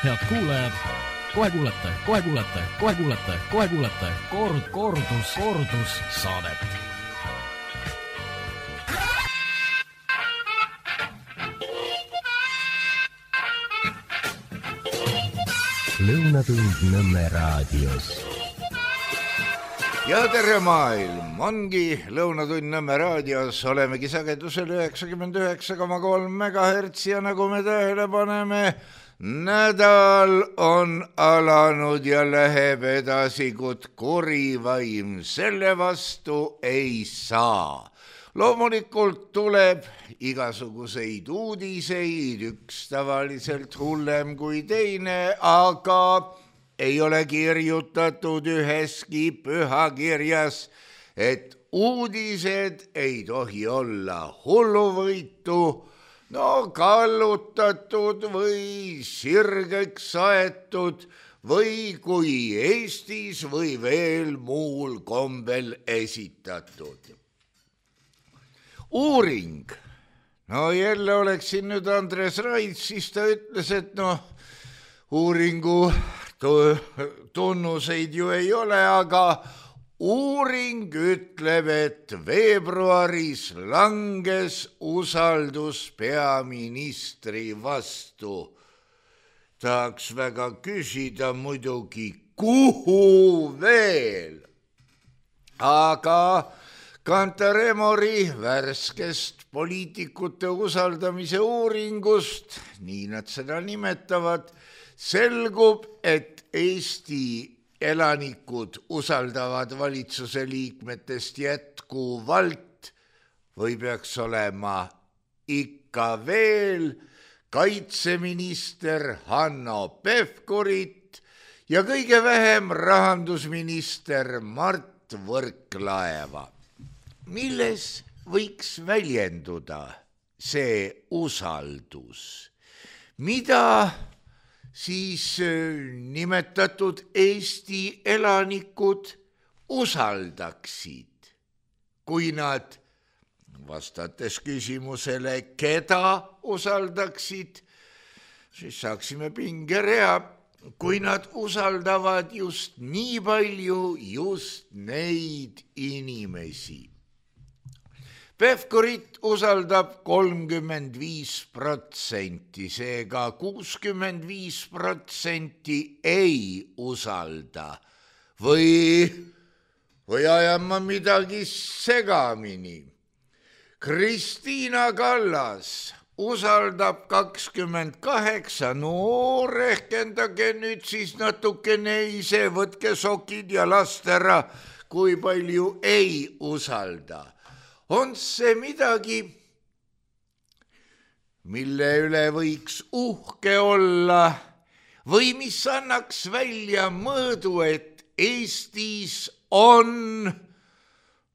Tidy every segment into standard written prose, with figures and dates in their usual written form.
Head kuulajad, kohe kuulete kordussaadet. Lõunatund Nõmme raadios. Ja tere maailm, ongi Lõunatund Nõmme raadios, olemegi sagedusel 99,3 MHz ja nagu me tähele paneme, nädal on alanud ja läheb edasi, kuid kuri vaim selle vastu ei saa. Loomulikult tuleb igasuguseid uudiseid, üks tavaliselt hullem kui teine, aga ei ole kirjutatud üheski pühakirjas, et uudised ei tohi olla hulluvõitu, kallutatud või sirgeks aetud või kui Eestis või veel muul kombel esitatud. Uuring. Jälle oleksin nüüd Andres Raid, siis ta ütles, et uuringu tunnuseid ju ei ole, aga uuring ütleb, et veebruaris langes usaldus peaministri vastu. Tahaks väga küsida muidugi, kuhu veel? Aga Kantar Emori värskest poliitikute usaldamise uuringust, nii nad seda nimetavad, selgub, et Eesti elanikud usaldavad valitsuse liikmetest jätkuvalt või peaks olema ikka veel kaitseminister Hanno Pevkurit ja kõige vähem rahandusminister Mart Võrklaeva. Milles võiks väljenduda see usaldus? Mida siis nimetatud Eesti elanikud usaldaksid, kui nad, vastates küsimusele, keda usaldaksid, siis saaksime pingerea, kui nad usaldavad just nii palju just neid inimesi. Pevkurit usaldab 35%, seega 65% ei usalda. Või ajan ma midagi segamini. Kristiina Kallas usaldab 28%, rehkendage nüüd siis natukene ise, võtke sokid ja last ära, kui palju ei usalda. On see midagi, mille üle võiks uhke olla või mis annaks välja mõõdu, et Eestis on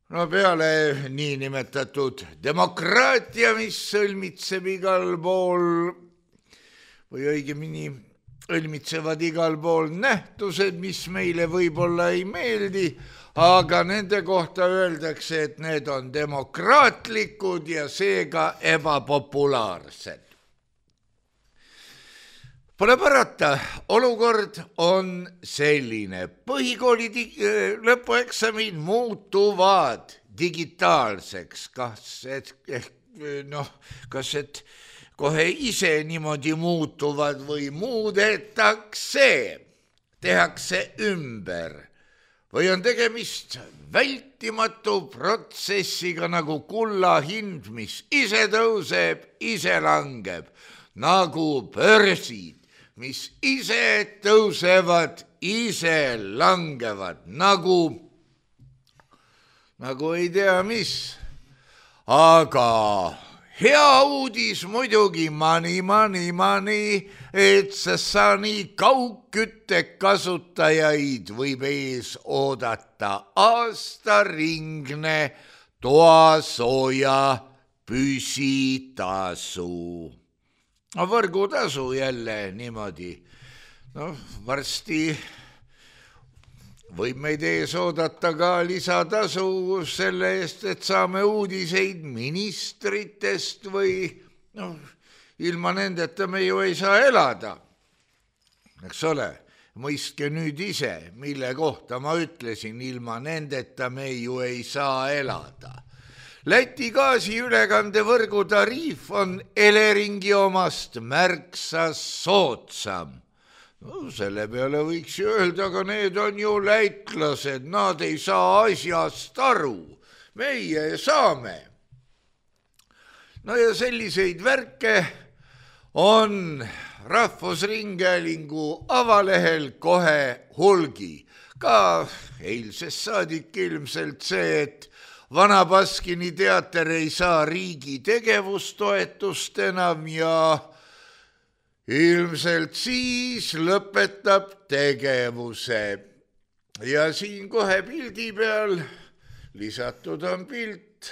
peale niinimetatud demokraatia, mis sõlmitseb igal pool või õigemini õlmitsevad igal pool nähtused, mis meile võib-olla ei meeldi, aga nende kohta öeldakse, et need on demokraatlikud ja seega ebapopulaarsed. Pole parata, olukord on selline. Põhikooli lõpueksamid muutuvad digitaalseks. Kas et kohe ise niimoodi muutuvad või tehakse ümber. Või on tegemist vältimatu protsessiga nagu kulla hind, mis ise tõuseb, ise langeb, nagu börsid, mis ise tõusevad, ise langevad, nagu ei tea mis. Aga hea uudis muidugi, mani, et sani kaugkütte kasutajaid võib ees oodata aastaringne toasooja püsitasu. Võrgutasu jälle niimoodi. Varsti võib meid ees oodata ka lisatasu selle eest, et saame uudiseid ministritest või ilma nendeta me ju ei saa elada. eks ole, mõistke nüüd ise, mille kohta ma ütlesin, ilma nendeta me ju ei saa elada. Läti gaasiülekandevõrgu tariif on Eleringi omast märksa soodsam. No, selle peale võiks ju öelda, aga need on ju lätlased, nad ei saa asjast aru, meie saame. No ja selliseid värke on Rahvusringhäälingu avalehel kohe hulgi. Ka eilsest saadik ilmselt see, et Vana Baskini teater ei saa riigi tegevustoetust enam ja ilmselt siis lõpetab tegevuse. Ja siin kohe pildi peal lisatud on pilt,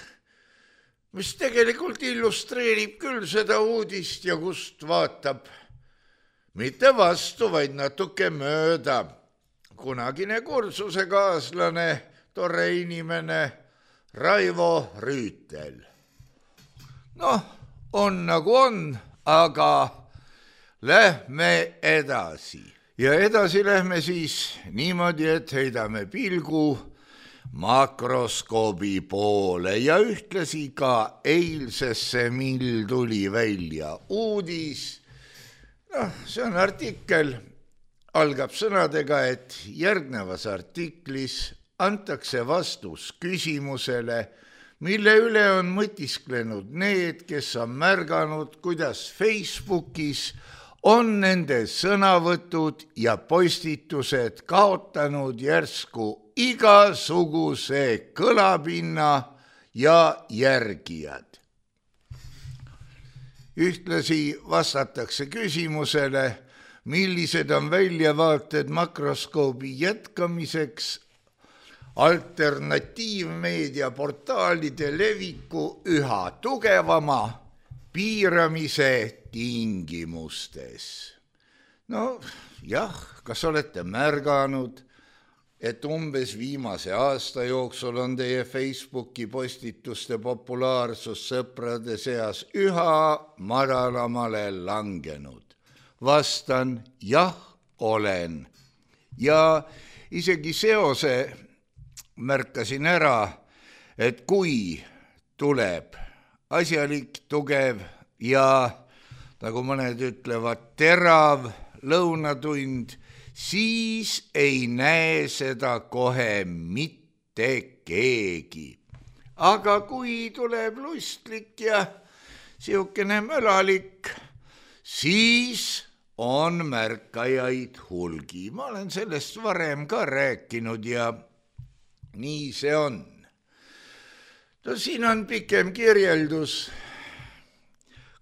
mis tegelikult illustreerib küll seda uudist ja kust vaatab mitte vastu, vaid natuke mööda. Kunagine kursusekaaslane, tore inimene Raivo Rüütel. Noh, on nagu on, aga lähme edasi. Ja edasi lähme siis niimoodi, et heidame pilgu makroskoobi poole ja ühtlasi ka eilsesse, mil tuli välja uudis. See on artikkel, algab sõnadega, et järgnevas artiklis antakse vastus küsimusele, mille üle on mõtisklenud need, kes on märganud, kuidas Facebookis on nende sõnavõtud ja postitused kaotanud järsku igasuguse kõlapinna ja järgijad. Ühtlasi vastatakse küsimusele, millised on väljavaated makroskoobi jätkamiseks alternatiivmeedia portaalide leviku üha tugevama piiramise tingimustes. No jah, kas olete märganud, et umbes viimase aasta jooksul on teie Facebooki postituste populaarsus sõprade seas üha madalamale langenud? Vastan, jah, olen. Ja isegi seose märkasin ära, et kui tuleb asjalik, tugev ja, nagu mõned ütlevad, terav lõunatund, siis ei näe seda kohe mitte keegi. Aga kui tuleb lustlik ja siukene mölalik, siis on märkajaid hulgi. Ma olen sellest varem ka rääkinud ja nii see on. No, siin on pikem kirjeldus,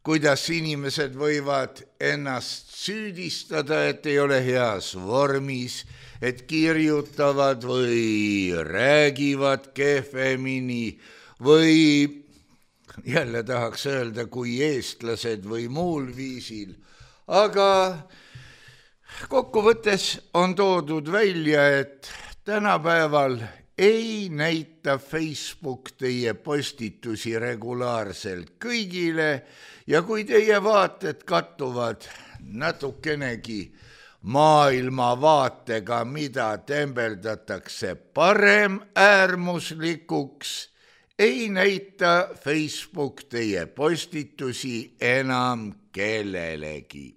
kuidas inimesed võivad ennast süüdistada, et ei ole heas vormis, et kirjutavad või räägivad kehvemini või jälle tahaks öelda, kui eestlased või muul viisil. Aga kokkuvõttes on toodud välja, et tänapäeval ei näita Facebook teie postitusi regulaarselt kõigile ja kui teie vaated kattuvad natukenegi maailmavaatega, mida tembeldatakse parem äärmuslikuks, ei näita Facebook teie postitusi enam kellelegi.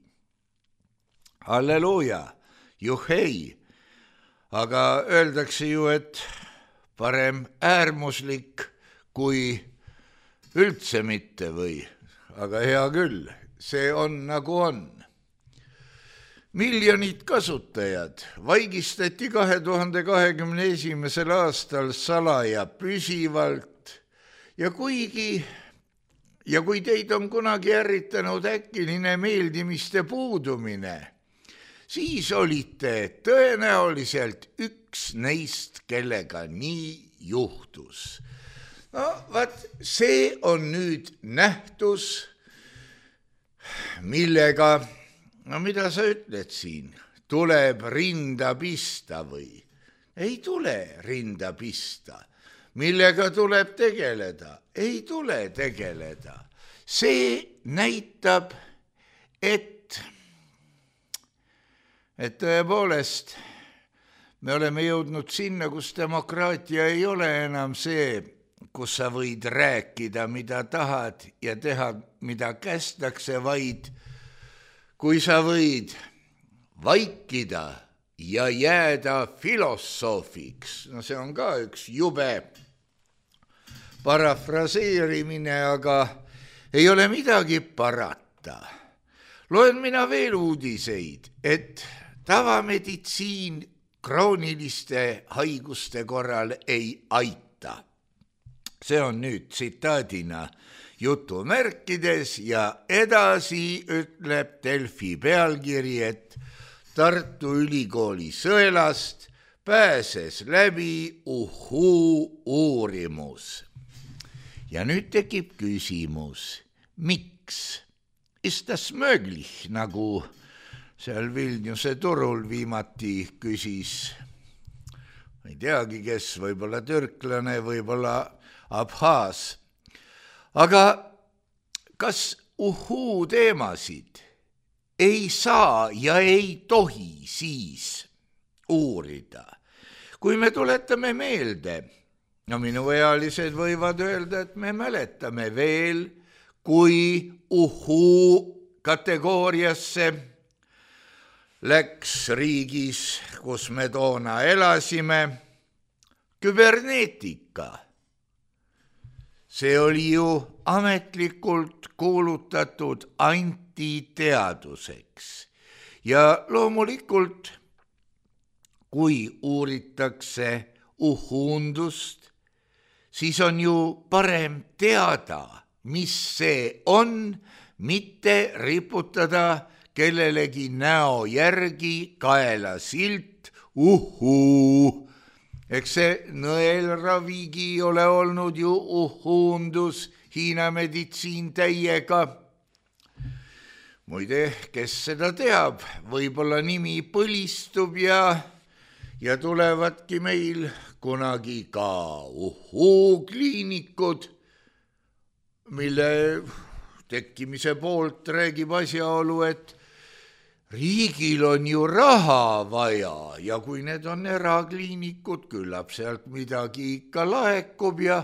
Halleluuja, juhei, aga öeldakse ju, et parem äärmuslik kui üldse mitte või, aga hea küll, see on nagu on. Miljonid kasutajad vaigistati 2021. aastal salaja püsivalt ja kui teid on kunagi ärritanud äkiline meeldimiste puudumine, siis olite tõenäoliselt üks neist, kellega nii juhtus. No, see on nüüd nähtus, millega, no mida sa ütled siin, tuleb rinda pista või? Ei tule rinda pista. Millega tuleb tegeleda? Ei tule tegeleda. See näitab, et et tõepoolest me oleme jõudnud sinna, kus demokraatia ei ole enam see, kus sa võid rääkida, mida tahad ja teha, mida kästakse, vaid kui sa võid vaikida ja jääda filosoofiks. No see on ka üks jube parafraseerimine, aga ei ole midagi parata. Loen mina veel uudiseid, et tavameditsiin krooniliste haiguste korral ei aita. See on nüüd tsitaadina jutumärkides ja edasi ütleb Delfi pealkiri, et Tartu Ülikooli sõelast pääses läbi uurimus. Ja nüüd tekib küsimus, miks? Ist das möglich, nagu seal Vilniuse turul viimati küsis, ei teagi kes, võib-olla türklane, võib-olla abhaas. Aga kas teemasid ei saa ja ei tohi siis uurida? Kui me tuletame meelde, no minuealised võivad öelda, et me mäletame veel, kui kategooriasse läks riigis, kus me toona elasime, küberneetika. See oli ju ametlikult kuulutatud antiteaduseks ja loomulikult, kui uuritakse uhundust, siis on ju parem teada, mis see on, mitte riputada kellelegi näo järgi kaela silt Eks see nõelravigi ole olnud ju uhundus, Hiina meditsiin täiega. Muide, kes seda teab, võib-olla nimi põlistub ja tulevadki meil kunagi ka kliinikud, mille tekkimise poolt räägib asjaolu, et riigil on ju raha vaja ja kui need on erakliinikud, küllap sealt midagi ikka laekub ja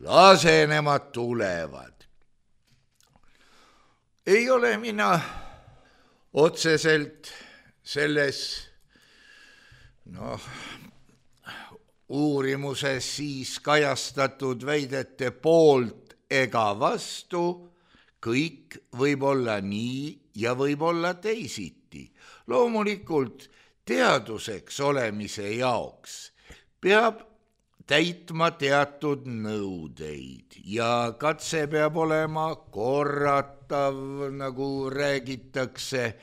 lase nemad tulevad. Ei ole mina otseselt selles uurimuses siis kajastatud väidete poolt ega vastu, kõik võib olla nii ja võib olla teisiti. Loomulikult teaduseks olemise jaoks peab täitma teatud nõudeid ja katse peab olema korratav, nagu räägitakse,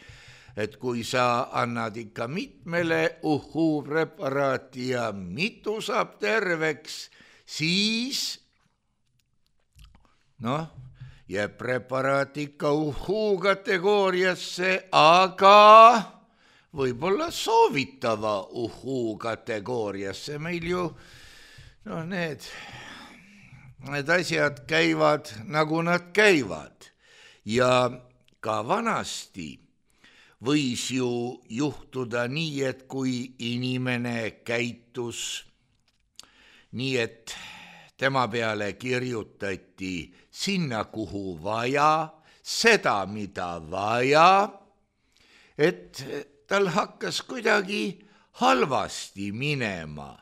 et kui sa annad ikka mitmele preparaati ja mitu saab terveks, siis jääb preparaat ikka kategooriasse, aga võib-olla soovitava kategooriasse. Meil ju need asjad käivad, nagu nad käivad. Ja ka vanasti võis ju juhtuda nii, et kui inimene käitus nii, et tema peale kirjutati sinna, kuhu vaja, seda, mida vaja, et tal hakkas kuidagi halvasti minema.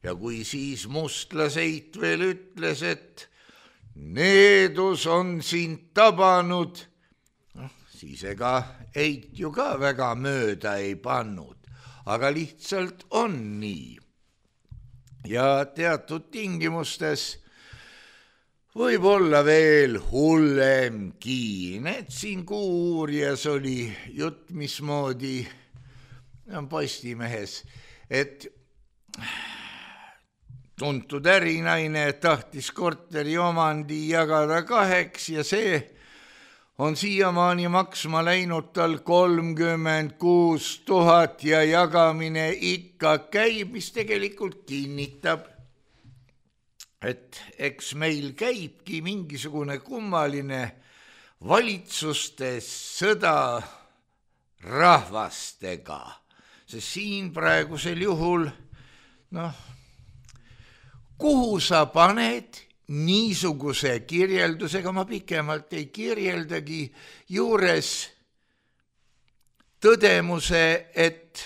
Ja kui siis mustlaseit veel ütles, et needus on sind tabanud, siis ega eit ju ka väga mööda ei pannud, aga lihtsalt on nii. Ja teatud tingimustes võib olla veel hullemgi. Need siin uurijas oli jutt, mismoodi Postimehes, et tuntud ärinaine tahtis korteri omandi jagada 2 ja see on siiamaani maksma läinud tal 36 000 ja jagamine ikka käib, mis tegelikult kinnitab, et eks meil käibki mingisugune kummaline valitsuste sõda rahvastega. sest siin praegusel juhul, kuhu sa paned niisuguse kirjeldusega, ma pikemalt ei kirjeldagi, juures tõdemuse, et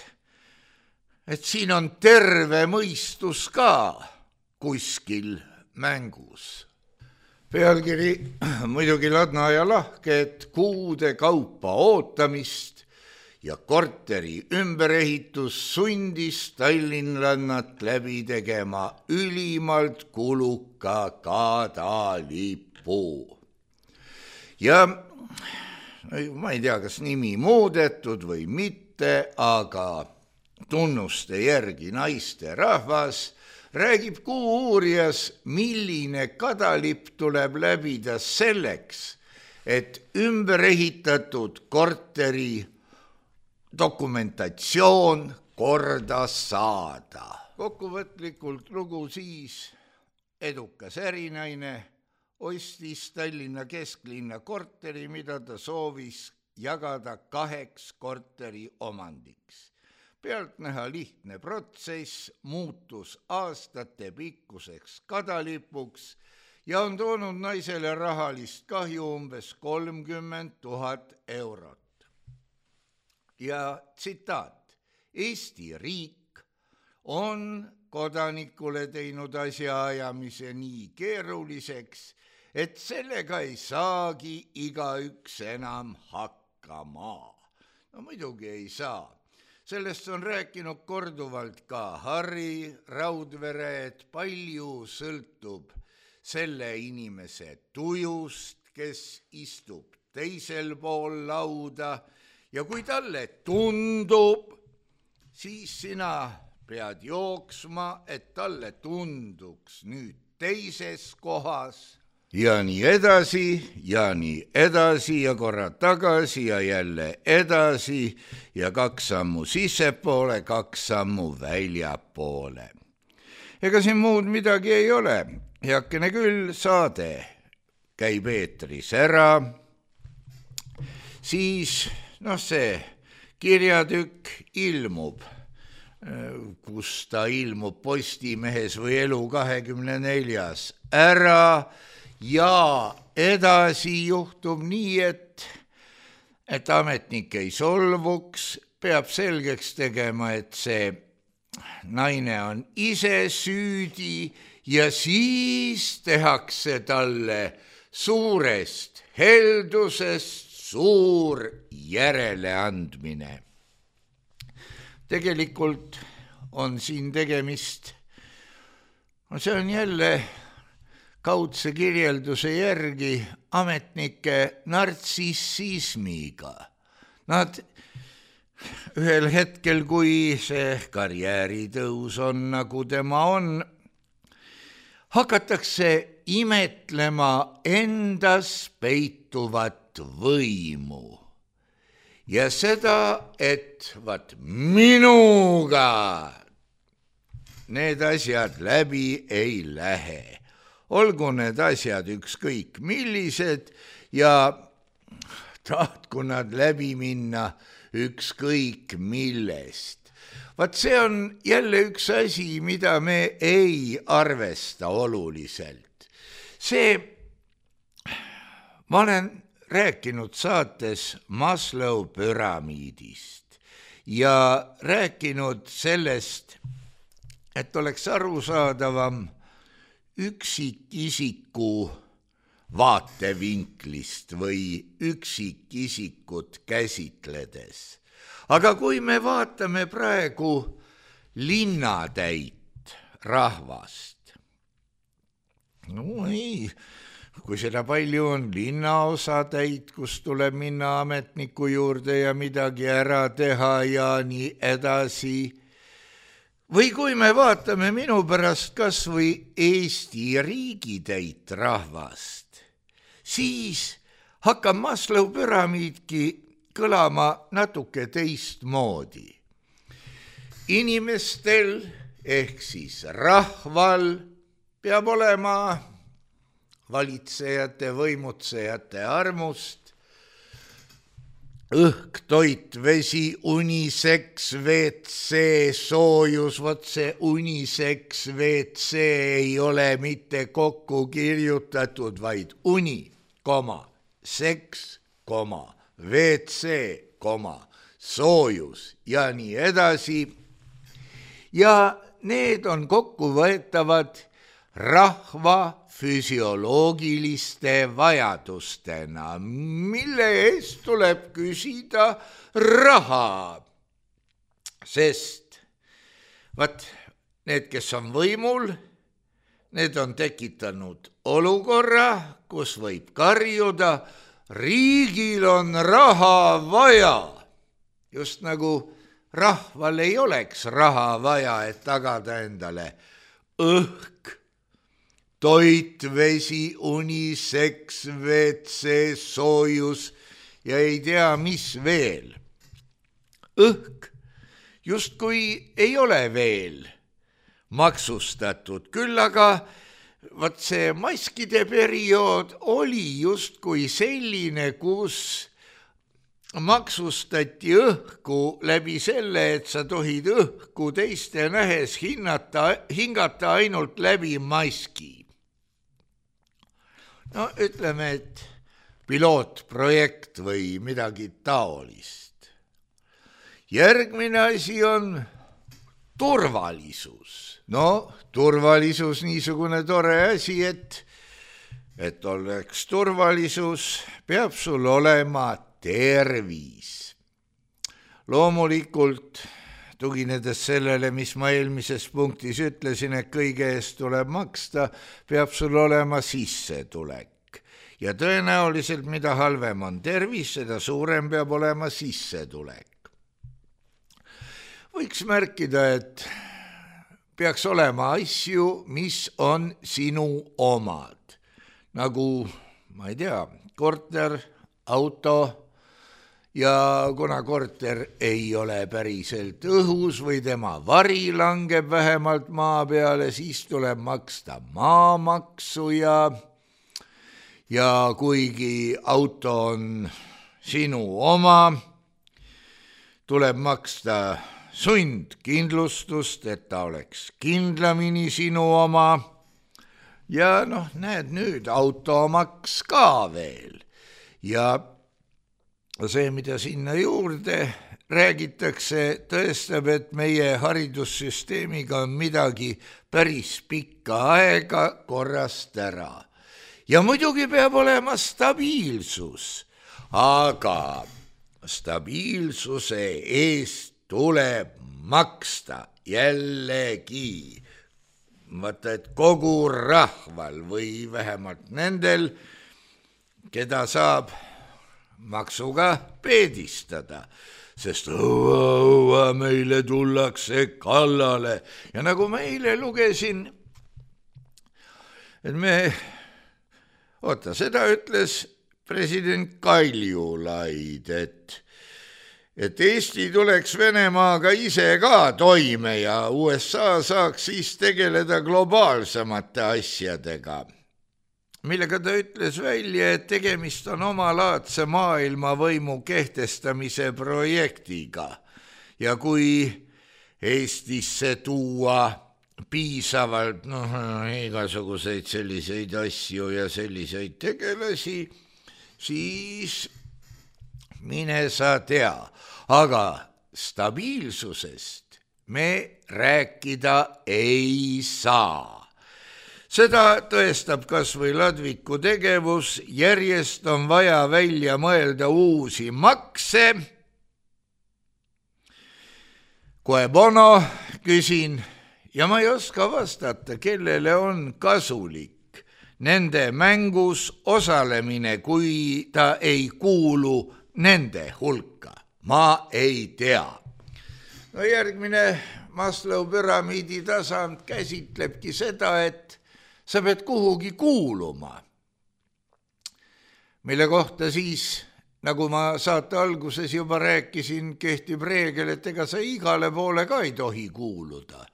siin on terve mõistus ka kuskil mängus. Pealkiri muidugi ladna ja lahke, et kuude kaupa ootamist ja korteri ümberehitus sundis tallinlannat läbi tegema ülimalt kuluka kadalipu. Ja ma ei tea, kas nimi muudetud või mitte, aga tunnuste järgi naiste rahvas räägib Kuuuurijas, milline kadalipp tuleb läbida selleks, et ümberehitatud korteri dokumentatsioon korda saada. Kokkuvõtlikult lugu siis: edukas ärinaine ostis Tallinna kesklinna korteri, mida ta soovis jagada 2 korteri omandiks. Pealtnäha lihtne protsess muutus aastate pikkuseks kadalipuks ja on toonud naisele rahalist kahju umbes 30 000 eurot. Ja tsitaat: Eesti riik on kodanikule teinud asjaajamise nii keeruliseks, et sellega ei saagi igaüks enam hakkama. Muidugi ei saa. Sellest on rääkinud korduvalt ka Harri Raudvere, et palju sõltub selle inimese tujust, kes istub teisel pool lauda, ja kui talle tundub, siis sina pead jooksma, et talle tunduks nüüd teises kohas. Ja nii edasi ja korra tagasi ja jälle edasi ja 2 sammu sissepoole, 2 sammu väljapoole. Ega siin muud midagi ei ole. Heakene küll, saade käib eetris ära. Siis see kirjatükk ilmub, kus ta ilmub Postimehes või Elu24 ära. Ja edasi juhtub nii, et ametnik ei solvuks, peab selgeks tegema, et see naine on ise süüdi ja siis tehakse talle suurest heldusest suur järeleandmine. Tegelikult on siin tegemist, see on jälle kaudse kirjelduse järgi ametnike nartsissismiga. Nad ühel hetkel, kui see karjääritõus on, nagu tema on, hakatakse imetlema endas peituvat võimu. Ja seda, et minuga need asjad läbi ei lähe. Olgu need asjad ükskõik millised ja tahtku nad läbi minna ükskõik millest. See on jälle üks asi, mida me ei arvesta oluliselt. Ma olen rääkinud saates Maslow püramiidist ja rääkinud sellest, et oleks arusaadavam üksikisiku vaatevinklist või üksikisikut käsitledes. Aga kui me vaatame praegu linnatäit rahvast, kui seda palju on linnaosatäit, kus tuleb minna ametniku juurde ja midagi ära teha ja nii edasi, või kui me vaatame minu pärast kas või Eesti riigitäit rahvast, siis hakkab Maslow püramiidki kõlama natuke teistmoodi. Inimestel ehk siis rahval peab olema valitsejate, võimutsejate armust õhk, toit, vesi, uniseks, WC, soojus, vot see uniseks, WC ei ole mitte kokku kirjutatud, vaid uni, seks, WC, soojus ja nii edasi. Ja need on kokkuvõetavad rahva füsioloogiliste vajadustena, mille eest tuleb küsida raha. Sest need, kes on võimul, need on tekitanud olukorra, kus võib karjuda, riigil on raha vaja. Just nagu rahval ei oleks raha vaja, et tagada endale õhk, toit, vesi, uniseks, WC, soojus ja ei tea, mis veel. Õhk justkui ei ole veel maksustatud, küll aga see maskide periood oli justkui selline, kus maksustati õhku läbi selle, et sa tohid õhku teiste nähes hingata ainult läbi maski. No ütleme, et pilootprojekt või midagi taolist. Järgmine asi on turvalisus. No, turvalisus niisugune tore asi, et oleks turvalisus, peab sul olema tervis. Loomulikult, tuginedes sellele, mis ma eelmises punktis ütlesin, et kõige eest tuleb maksta, peab sul olema sissetulek. Ja tõenäoliselt, mida halvem on tervis, seda suurem peab olema sissetulek. Võiks märkida, et peaks olema asju, mis on sinu omad. Nagu, ma ei tea, korter, auto. Ja kuna korter ei ole päriselt õhus või tema vari langeb vähemalt maa peale, siis tuleb maksta maamaksu ja kuigi auto on sinu oma, tuleb maksta sundkindlustust, et ta oleks kindlamini sinu oma ja näed nüüd automaks ka veel ja see, mida sinna juurde räägitakse, tõestab, et meie haridussüsteemiga on midagi päris pikka aega korrast ära. Ja muidugi peab olema stabiilsus, aga stabiilsuse eest tuleb maksta jällegi. Vaata, et kogu rahval või vähemalt nendel, keda saab maksuga peedistada, sest meile tullakse kallale. Ja nagu ma eile lugesin, et seda ütles president Kaljulaid, et Eesti tuleks Venemaaga ise ka toime ja USA saaks siis tegeleda globaalsemate asjadega. Millega ta ütles välja, et tegemist on omalaadse maailmavõimu kehtestamise projektiga ja kui Eestisse tuua piisavalt igasuguseid selliseid asju ja selliseid tegelasi, siis mine sa tea, aga stabiilsusest me rääkida ei saa. Seda tõestab kas või Ladviku tegevus, järjest on vaja välja mõelda uusi makse. Koe bono, küsin, ja ma ei oska vastata, kellele on kasulik nende mängus osalemine, kui ta ei kuulu nende hulka. Ma ei tea. No järgmine Maslow püramiidi tasand käsitlebki seda, et sa pead kuhugi kuuluma, mille kohta siis, nagu ma saate alguses juba rääkisin, kehtib reegel, et ega sa igale poole ka ei tohi kuuluda.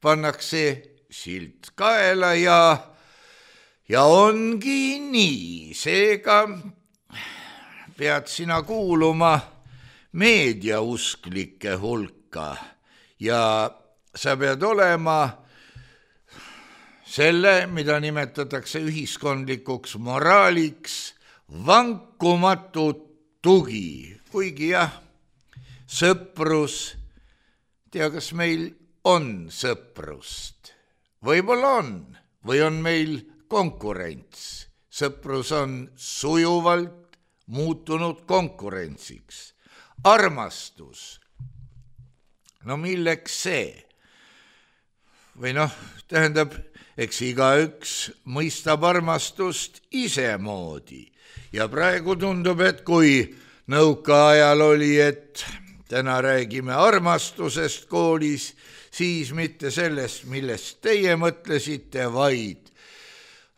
Pannakse silt kaela ja ongi nii, seega pead sina kuuluma meediausklike hulka ja sa pead olema selle, mida nimetatakse ühiskondlikuks moraaliks, vankumatu tugi, kuigi jah, sõprus, tea, kas meil on sõprust, võib-olla on, või on meil konkurents. Sõprus on sujuvalt muutunud konkurentsiks. Armastus, no milleks see? Või tähendab, eks igaüks mõistab armastust isemoodi. Ja praegu tundub, et kui nõukaajal oli, et täna räägime armastusest koolis, siis mitte sellest, millest teie mõtlesite, vaid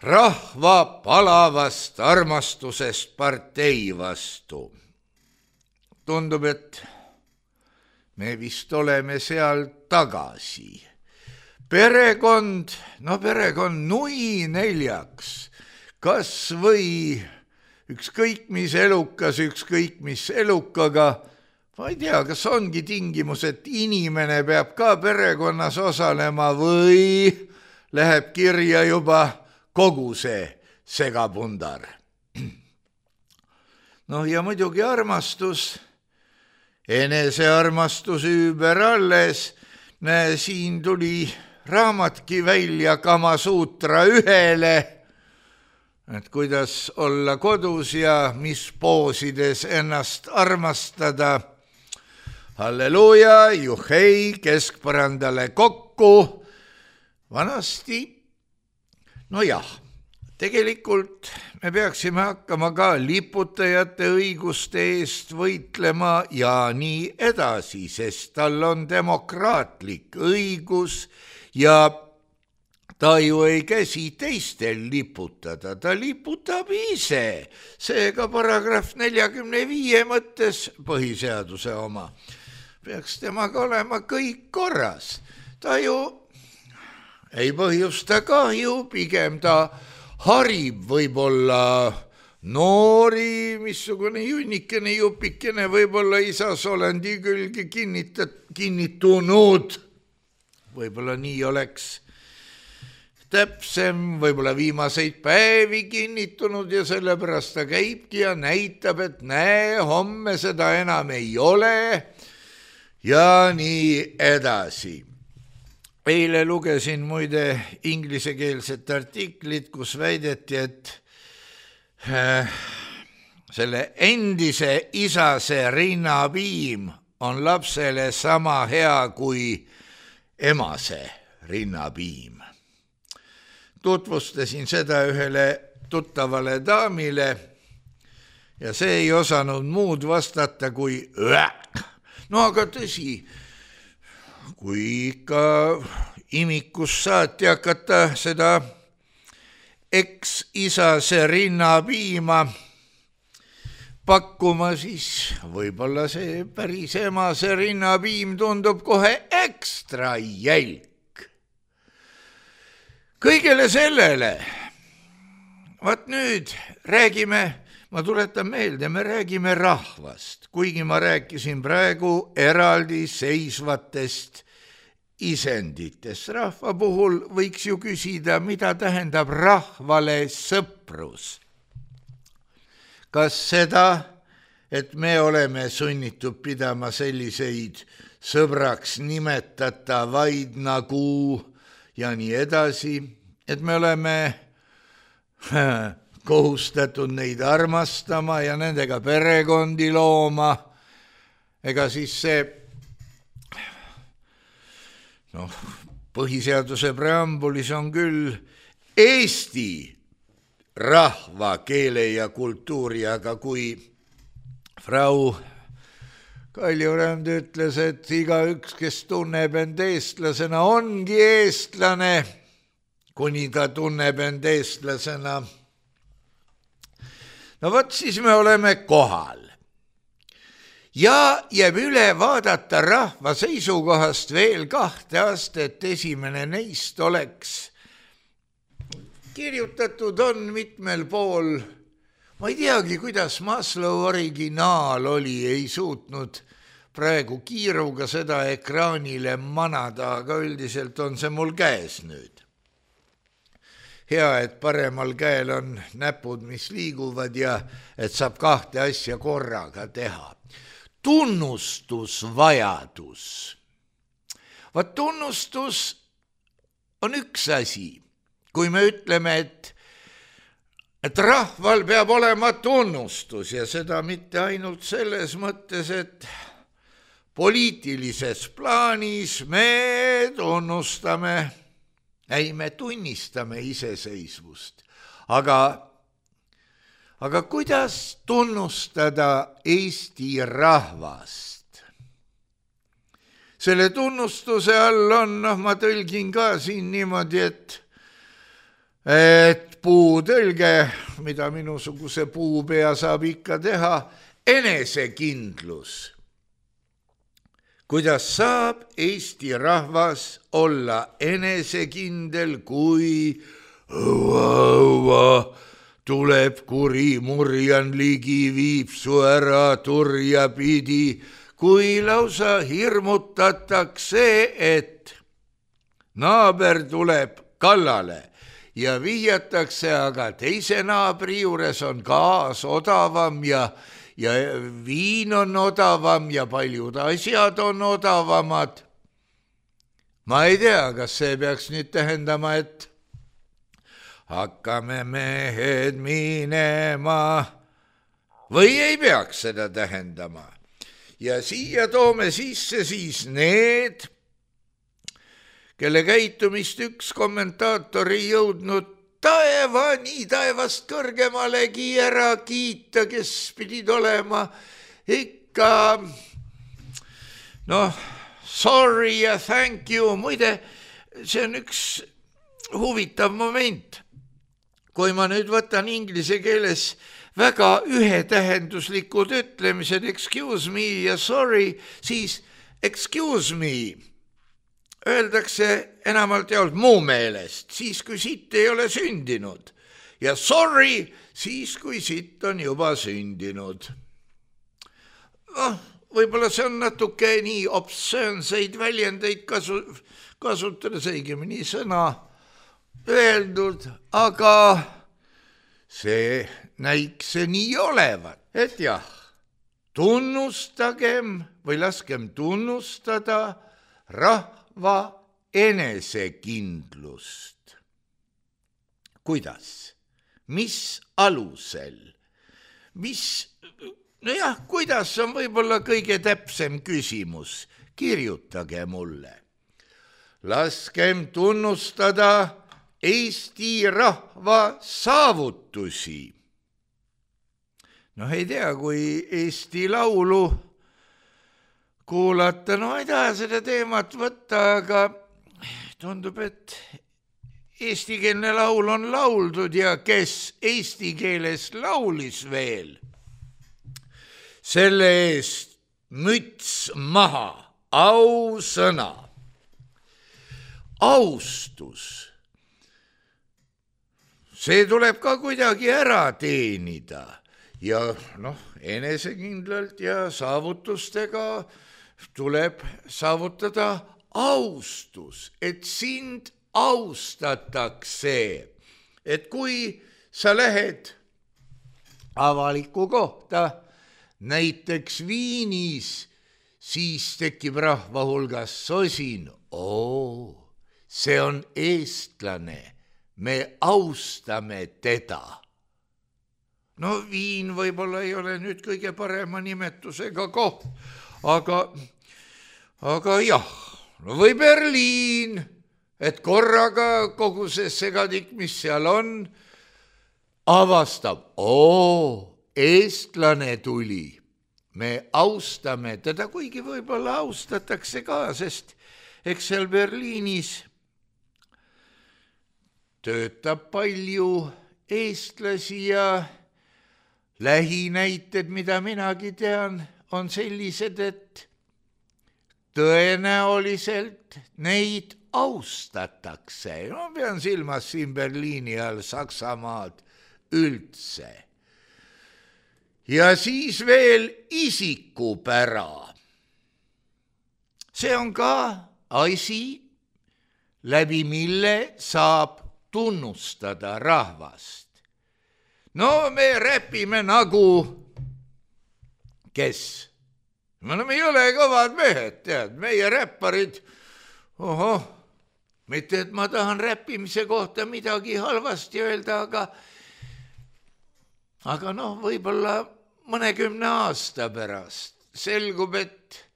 rahva palavast armastusest partei vastu. Tundub, et me vist oleme seal tagasi. Perekond nui neljaks, kas või ükskõik mis elukas, ükskõik mis elukaga, ma ei tea, kas ongi tingimus, et inimene peab ka perekonnas osalema või läheb kirja juba kogu see segapundar. Ja muidugi armastus, enesearmastus ümber alles, siin tuli raamatki välja Kamasutra 1, et kuidas olla kodus ja mis poosides ennast armastada. Halleluuja, juhei, keskpõrandale kokku. Vanasti, tegelikult me peaksime hakkama ka liputajate õiguste eest võitlema ja nii edasi, sest tal on demokraatlik õigus ja ta ju ei käsi teistel liputada, ta liputab ise. Seega paragrahv 45 mõttes põhiseaduse oma. Peaks temaga olema kõik korras. Ta ju ei põhjusta kahju, pigem ta harib võib-olla noori, missugune junnikene, jupikene, võib-olla isasolendi külge kinnitunud. Võib-olla nii oleks täpsem, võib-olla viimaseid päevi kinnitunud ja sellepärast ta käibki ja näitab, et näe, homme seda enam ei ole ja nii edasi. Eile lugesin muide inglisekeelset artiklit, kus väideti, et selle endise isase rinnapiim on lapsele sama hea kui emase rinnapiim. Tutvustasin seda ühele tuttavale daamile ja see ei osanud muud vastata kui aga tõsi, kui ikka imikus saati hakata seda eks-isase rinnapiima pakkuma, siis võib-olla see päris emase rinnapiim tundub kohe ekstra jälk. Kõigele sellele, vaat nüüd räägime, ma tuletan meelde, me räägime rahvast, kuigi ma rääkisin praegu eraldi seisvatest isenditest. Rahva puhul võiks ju küsida, mida tähendab rahvale sõprus. Kas seda, et me oleme sunnitud pidama selliseid sõbraks nimetatavaid nagu ja nii edasi, et me oleme kohustatud neid armastama ja nendega perekondi looma, ega siis see põhiseaduse preambulis on küll Eesti rahva, keele ja kultuuri, aga kui Frau Kaljurand ütles, et igaüks, kes tunneb end eestlasena, ongi eestlane, kuni ta tunneb end eestlasena. Võt siis me oleme kohal. Ja jääb üle vaadata rahva seisukohast veel 2 astet, esimene neist oleks kirjutatud on mitmel pool ma ei teagi, kuidas Maslow originaal oli, ei suutnud praegu kiiruga seda ekraanile manada, aga üldiselt on see mul käes nüüd. Hea, et paremal käel on näpud, mis liiguvad ja et saab kahte asja korraga teha. Tunnustusvajadus. Vaat tunnustus on üks asi. Kui me ütleme, et rahval peab olema tunnustus ja seda mitte ainult selles mõttes, et poliitilises plaanis me tunnustame, me tunnistame iseseisvust, aga kuidas tunnustada Eesti rahvast? Selle tunnustuse all on, ma tõlgin ka siin niimoodi, et puutõlge, mida minusuguse puupea saab ikka teha, enesekindlus. Kuidas saab Eesti rahvas olla enesekindel, kui õua tuleb kuri murjan ligi, viib su ära turja pidi, kui lausa hirmutatakse, et naaber tuleb kallale ja vihjatakse, aga teise naabri juures on gaas odavam ja viin on odavam ja paljud asjad on odavamad. Ma ei tea, kas see peaks nüüd tähendama, et hakkame mehed minema või ei peaks seda tähendama. Ja siia toome sisse siis need, kelle käitumist üks kommentaator ei jõudnud nii taevast kõrgemalegi ära kiita, kes pidid olema ikka, sorry ja thank you. Muide, see on üks huvitav moment. Kui ma nüüd võtan inglise keeles väga ühetähenduslikud ütlemised, excuse me ja sorry, siis excuse me öeldakse enamalt jaolt muu meelest, siis kui sitt ei ole sündinud, ja sorry siis kui sitt on juba sündinud. Võib-olla see on natuke nii obsöönseid väljendeid kasutades õigemini sõna öeldud, aga see näiks see nii olevat, et jah, tunnustagem või laskem tunnustada rahva enesekindlust. Kuidas? Mis alusel? Kuidas on võib-olla kõige täpsem küsimus? Kirjutage mulle. Laskem tunnustada Eesti rahva saavutusi. Ei tea, kui Eesti laulu kuulata, ei taha seda teemat võtta, aga tundub, et eestikeelne laul on lauldud ja kes eesti keeles laulis veel. Selle eest müts maha, ausõna. Austus. See tuleb ka kuidagi ära teenida ja enesekindlalt ja saavutustega tuleb saavutada austus, et sind austatakse, et kui sa lähed avalikku kohta, näiteks Viinis, siis tekib rahva hulgas sosin, see on eestlane, me austame teda. Viin võib-olla ei ole nüüd kõige parema nimetusega koht, aga jah, või Berliin, et korraga kogu see segadik, mis seal on, avastab, eestlane tuli, me austame teda, kuigi võib-olla austatakse ka, sest eks seal Berliinis töötab palju eestlasi ja lähinäited, mida minagi tean, on sellised, et tõenäoliselt neid austatakse. Pean silmas siin Berliini all Saksamaad üldse. ja siis veel isikupära. See on ka asi, läbi mille saab tunnustada rahvast. No me räpime nagu kes? Me ei ole kõvad mehed, tead, meie räpparid, mitte et ma tahan räppimise kohta midagi halvasti öelda, aga võib-olla mõnekümne aasta pärast selgub, et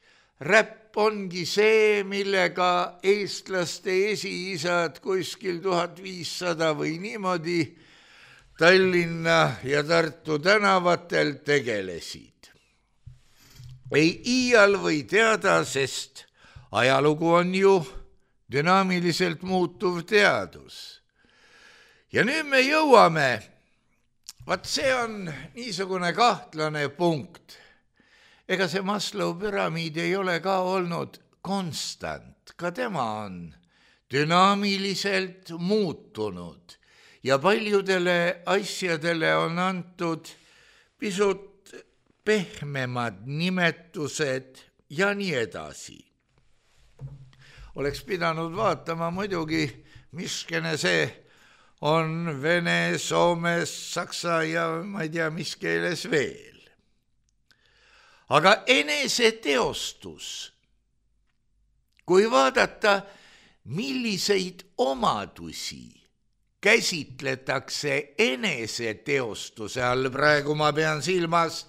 räpp ongi see, millega eestlaste esiisad kuskil 1500 või niimoodi Tallinna ja Tartu tänavatel tegelesid. Ei iial või teada, sest ajalugu on ju dünaamiliselt muutuv teadus. Ja nüüd me jõuame, see on niisugune kahtlane punkt. Ega see Maslow püramiid ei ole ka olnud konstant, ka tema on dünaamiliselt muutunud ja paljudele asjadele on antud pisut pehmemad nimetused ja nii edasi. Oleks pidanud vaatama muidugi, miskene see on vene, soome, saksa ja ma ei tea, mis keeles veel. Aga eneseteostus, kui vaadata, milliseid omadusi käsitletakse eneseteostuse all, praegu ma pean silmas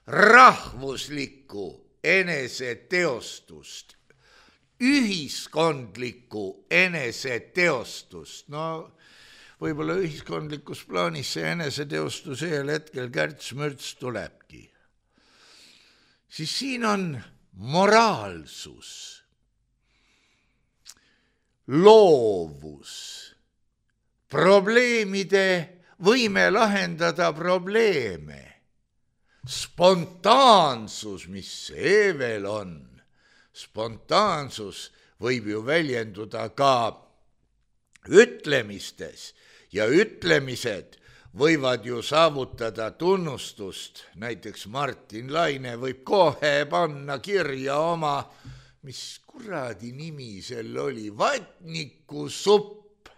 rahvuslikku eneseteostust, ühiskondlikku eneseteostust. Võib-olla ühiskondlikus plaanis see eneseteostus ühel hetkel kärts-mürts tulebki. Siis siin on moraalsus, loovus, probleemide võime lahendada probleeme, spontaansus, mis see veel on. Spontaansus võib ju väljenduda ka ütlemistes ja ütlemised võivad ju saavutada tunnustust. Näiteks Martin Laine võib kohe panna kirja oma, mis kuradi nimi sel oli, vatnikusupp.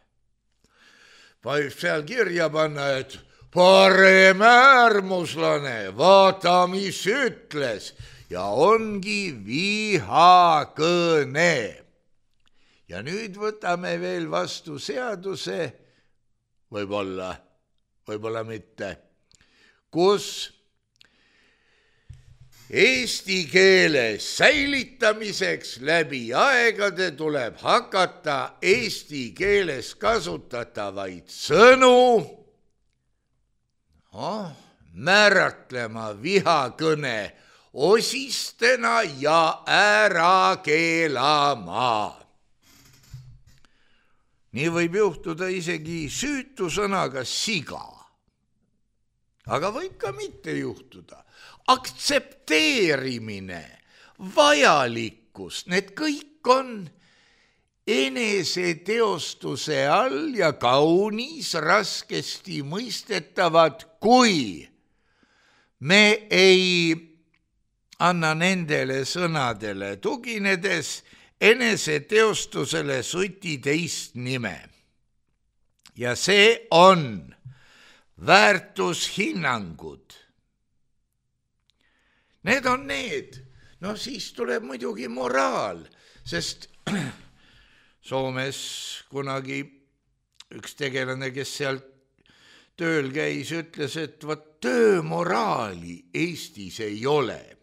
Võib seal kirja panna, et paremäärmuslane, vaata, mis ütles, ja ongi vihakõne. Ja nüüd võtame veel vastu seaduse, võib-olla mitte, kus eesti keele säilitamiseks läbi aegade tuleb hakata eesti keeles kasutatavaid sõnu määratlema vihakõne osistena ja ära keelama. Nii võib juhtuda isegi süütu sõnaga siga, aga võib ka mitte juhtuda. Aktsepteerimine, vajalikkus, need kõik on eneseteostuse all ja kaunis raskesti mõistetavad, kui me ei anna nendele sõnadele tuginedes eneseteostusele suti teist nime. Ja see on väärtushinnangud. Need on need. Siis tuleb muidugi moraal, sest Soomes kunagi üks tegelane, kes seal tööl käis, ütles, et töömoraali Eestis ei ole.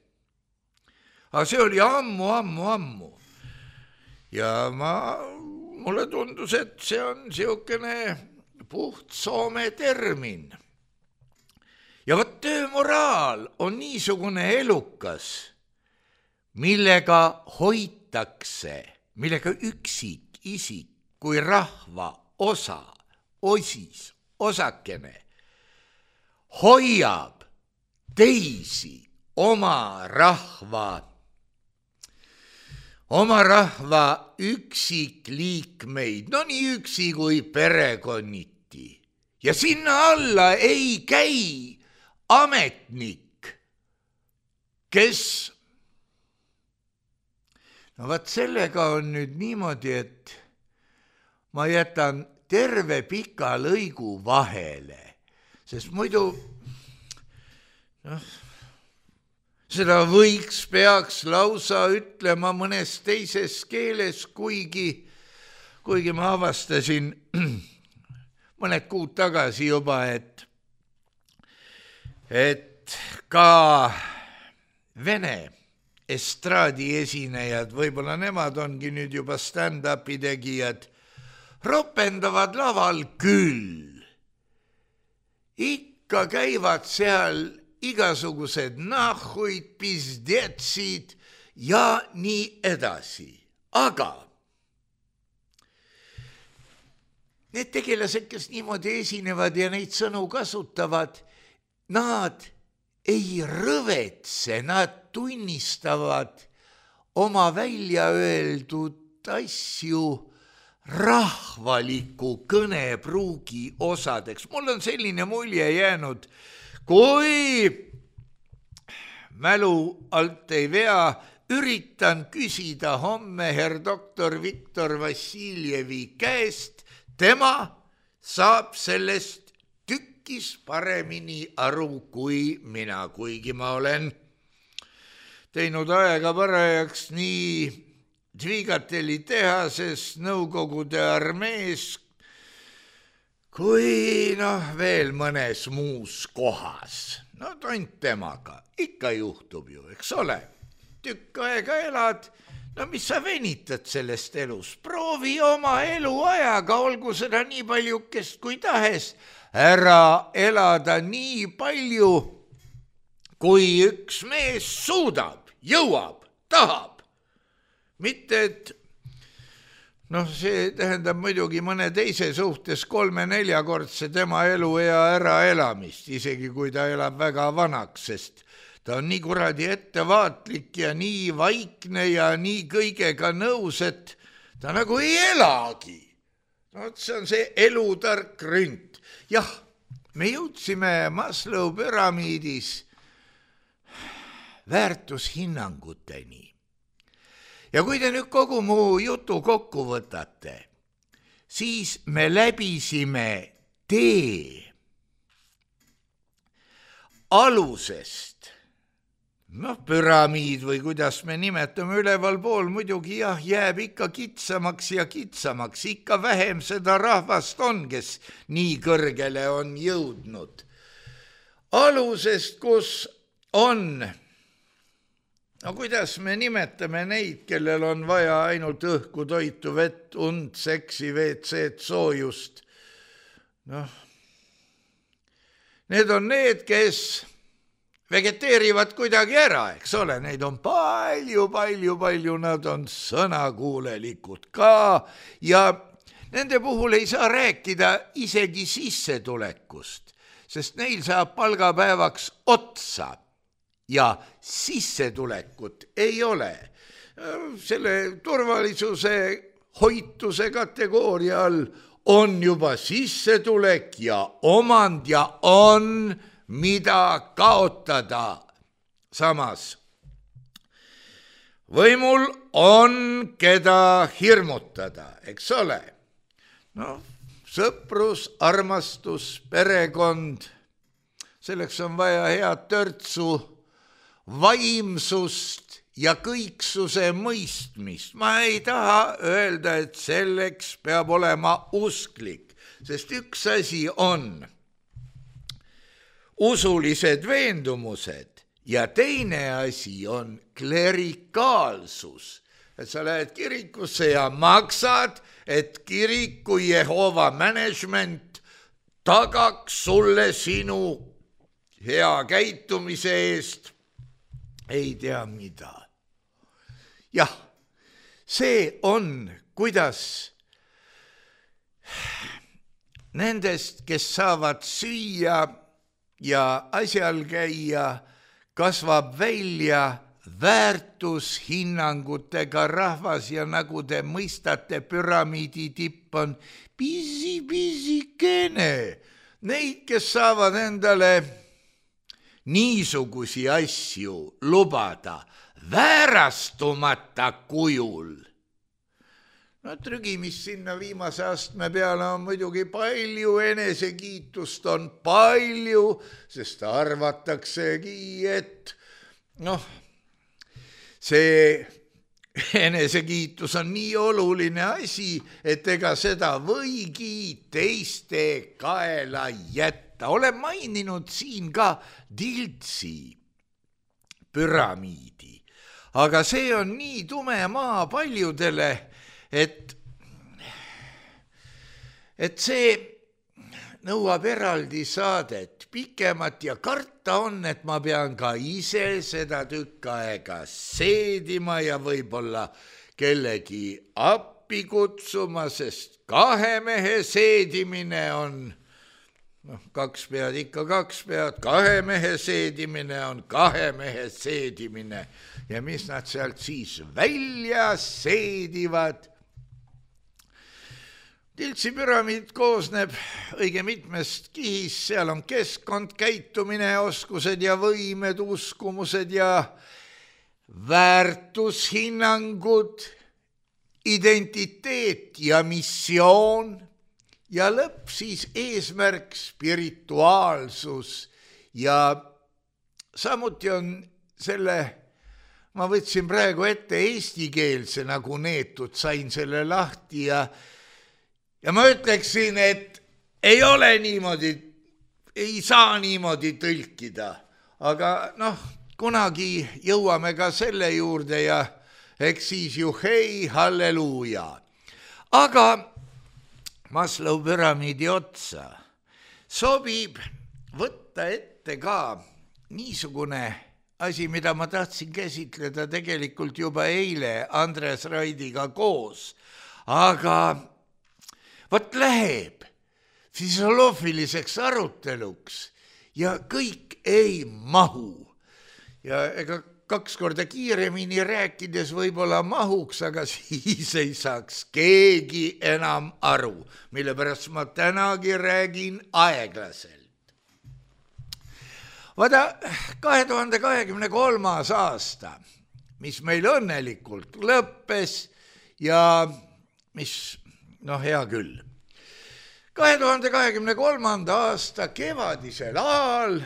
Aga see oli ammu. Ja mulle tundus, et see on siukene puht Soome termin. Ja töömoraal on niisugune elukas, millega hoitakse, millega üksikisik kui rahva osa, osakene hoiab teisi oma rahva üksikliikmeid, nii üksi kui perekonniti. Ja sinna alla ei käi ametnik, kes... No vaat sellega on nüüd niimoodi, et ma jätan terve pika lõigu vahele, sest muidu seda peaks lausa ütlema mõnes teises keeles, kuigi ma avastasin mõned kuud tagasi juba, et ka vene estraadi esinejad, võib-olla nemad ongi nüüd juba stand-upi tegijad, ropendavad laval küll. Ikka käivad seal igasugused nahhuid, pizdetsid ja nii edasi. Aga need tegelased, kes niimoodi esinevad ja neid sõnu kasutavad, nad ei rõvetse, nad tunnistavad oma välja öeldud asju rahvaliku kõnepruugi osadeks. Mul on selline mulje jäänud, kui mälu alt ei vea, üritan küsida homme herr doktor Viktor Vassiljevi käest, tema saab sellest tükkis paremini aru kui mina, kuigi ma olen teinud aega parajaks nii Dvigateli tehases, Nõukogude armees kui veel mõnes muus kohas. No tont temaga, ikka juhtub ju, eks ole. Tükk aega elad, no mis sa venitad sellest elus? Proovi oma eluajaga, olgu seda nii paljukest kui tahes, ära elada nii palju, kui üks mees suudab, jõuab, tahab. Mitte, et see tähendab muidugi mõne teise suhtes 3-4-kordse tema eluea äraelamist, isegi kui ta elab väga vanaks, sest ta on nii kuradi ettevaatlik ja nii vaikne ja nii kõigega nõus, et ta nagu ei elagi. See on see elutark rünt. Jah, me jõudsime Maslow püramiidis väärtushinnanguteni. Ja kui te nüüd kogu mu jutu kokku võtate, siis me läbisime tee alusest, püramiid või kuidas me nimetame üleval pool, muidugi jääb ikka kitsamaks ja kitsamaks, ikka vähem seda rahvast on, kes nii kõrgele on jõudnud. Alusest, kus on... kuidas me nimetame neid, kellel on vaja ainult õhku, toitu, vett, und, seksi, WC-d, soojust? Need on need, kes vegeteerivad kuidagi ära, eks ole, neid on palju, nad on sõnakuulelikud ka ja nende puhul ei saa rääkida isegi sissetulekust, sest neil saab palgapäevaks otsa. Ja sissetulekut ei ole. Selle turvalisuse hoituse kategooria all on juba sissetulek ja omand ja on mida kaotada. Samas võimul on keda hirmutada, eks ole. Sõprus, armastus, perekond, selleks on vaja head törtsu, vaimsust ja kõiksuse mõistmist. Ma ei taha öelda, et selleks peab olema usklik, sest üks asi on usulised veendumused ja teine asi on klerikaalsus. Et sa lähed kirikusse ja maksad, et kiriku Jehova management tagaks sulle sinu hea käitumise eest. Ei tea mida. Jah, see on, kuidas nendest, kes saavad süüa ja asjal käia, kasvab välja väärtushinnangutega rahvas ja nagu te mõistate, püramiidi tipp on pisikene. Neid, kes saavad endale niisugusi asju lubada väärastumata kujul. No trügimist sinna viimase astme peale on muidugi palju, enesekiitust on palju, sest arvataksegi, et see enesekiitus on nii oluline asi, et ega seda võigi teiste kaela jätta. Olen maininud siin ka Tiltsi püramiidi, aga see on nii tume maa paljudele, et see nõuab eraldi saadet pikemat ja karta on, et ma pean ka ise seda tükk aega seedima ja võib-olla kellegi appi kutsuma, sest 2 mehe seedimine on, 2 pead ikka 2 pead, 2 mehe seedimine on 2 mehe seedimine ja mis nad sealt siis välja seedivad. Tiltsi püramiid koosneb õige mitmest kihist, seal on keskkond, käitumine, oskused ja võimed, uskumused ja väärtushinnangud, identiteet ja missioon ja lõpp siis eesmärk, spirituaalsus ja samuti on selle, ma võtsin praegu ette eestikeelse nagu neetud, sain selle lahti ja ma ütleksin, et ei ole niimoodi, ei saa niimoodi tõlkida, aga kunagi jõuame ka selle juurde ja eks siis ju hei, halleluuja. Aga Maslow püramiidi otsa sobib võtta ette ka niisugune asi, mida ma tahtsin käsitleda tegelikult juba eile Andres Raidiga koos, aga võt läheb füsioloogiliseks aruteluks ja kõik ei mahu. Ja ega 2 korda kiiremini rääkides võib-olla mahuks, aga siis ei saaks keegi enam aru, mille pärast ma tänagi räägin aeglaselt. Vaata, 2023. aasta, mis meil õnnelikult lõppes ja mis hea küll. 2023. aasta kevadisel ajal,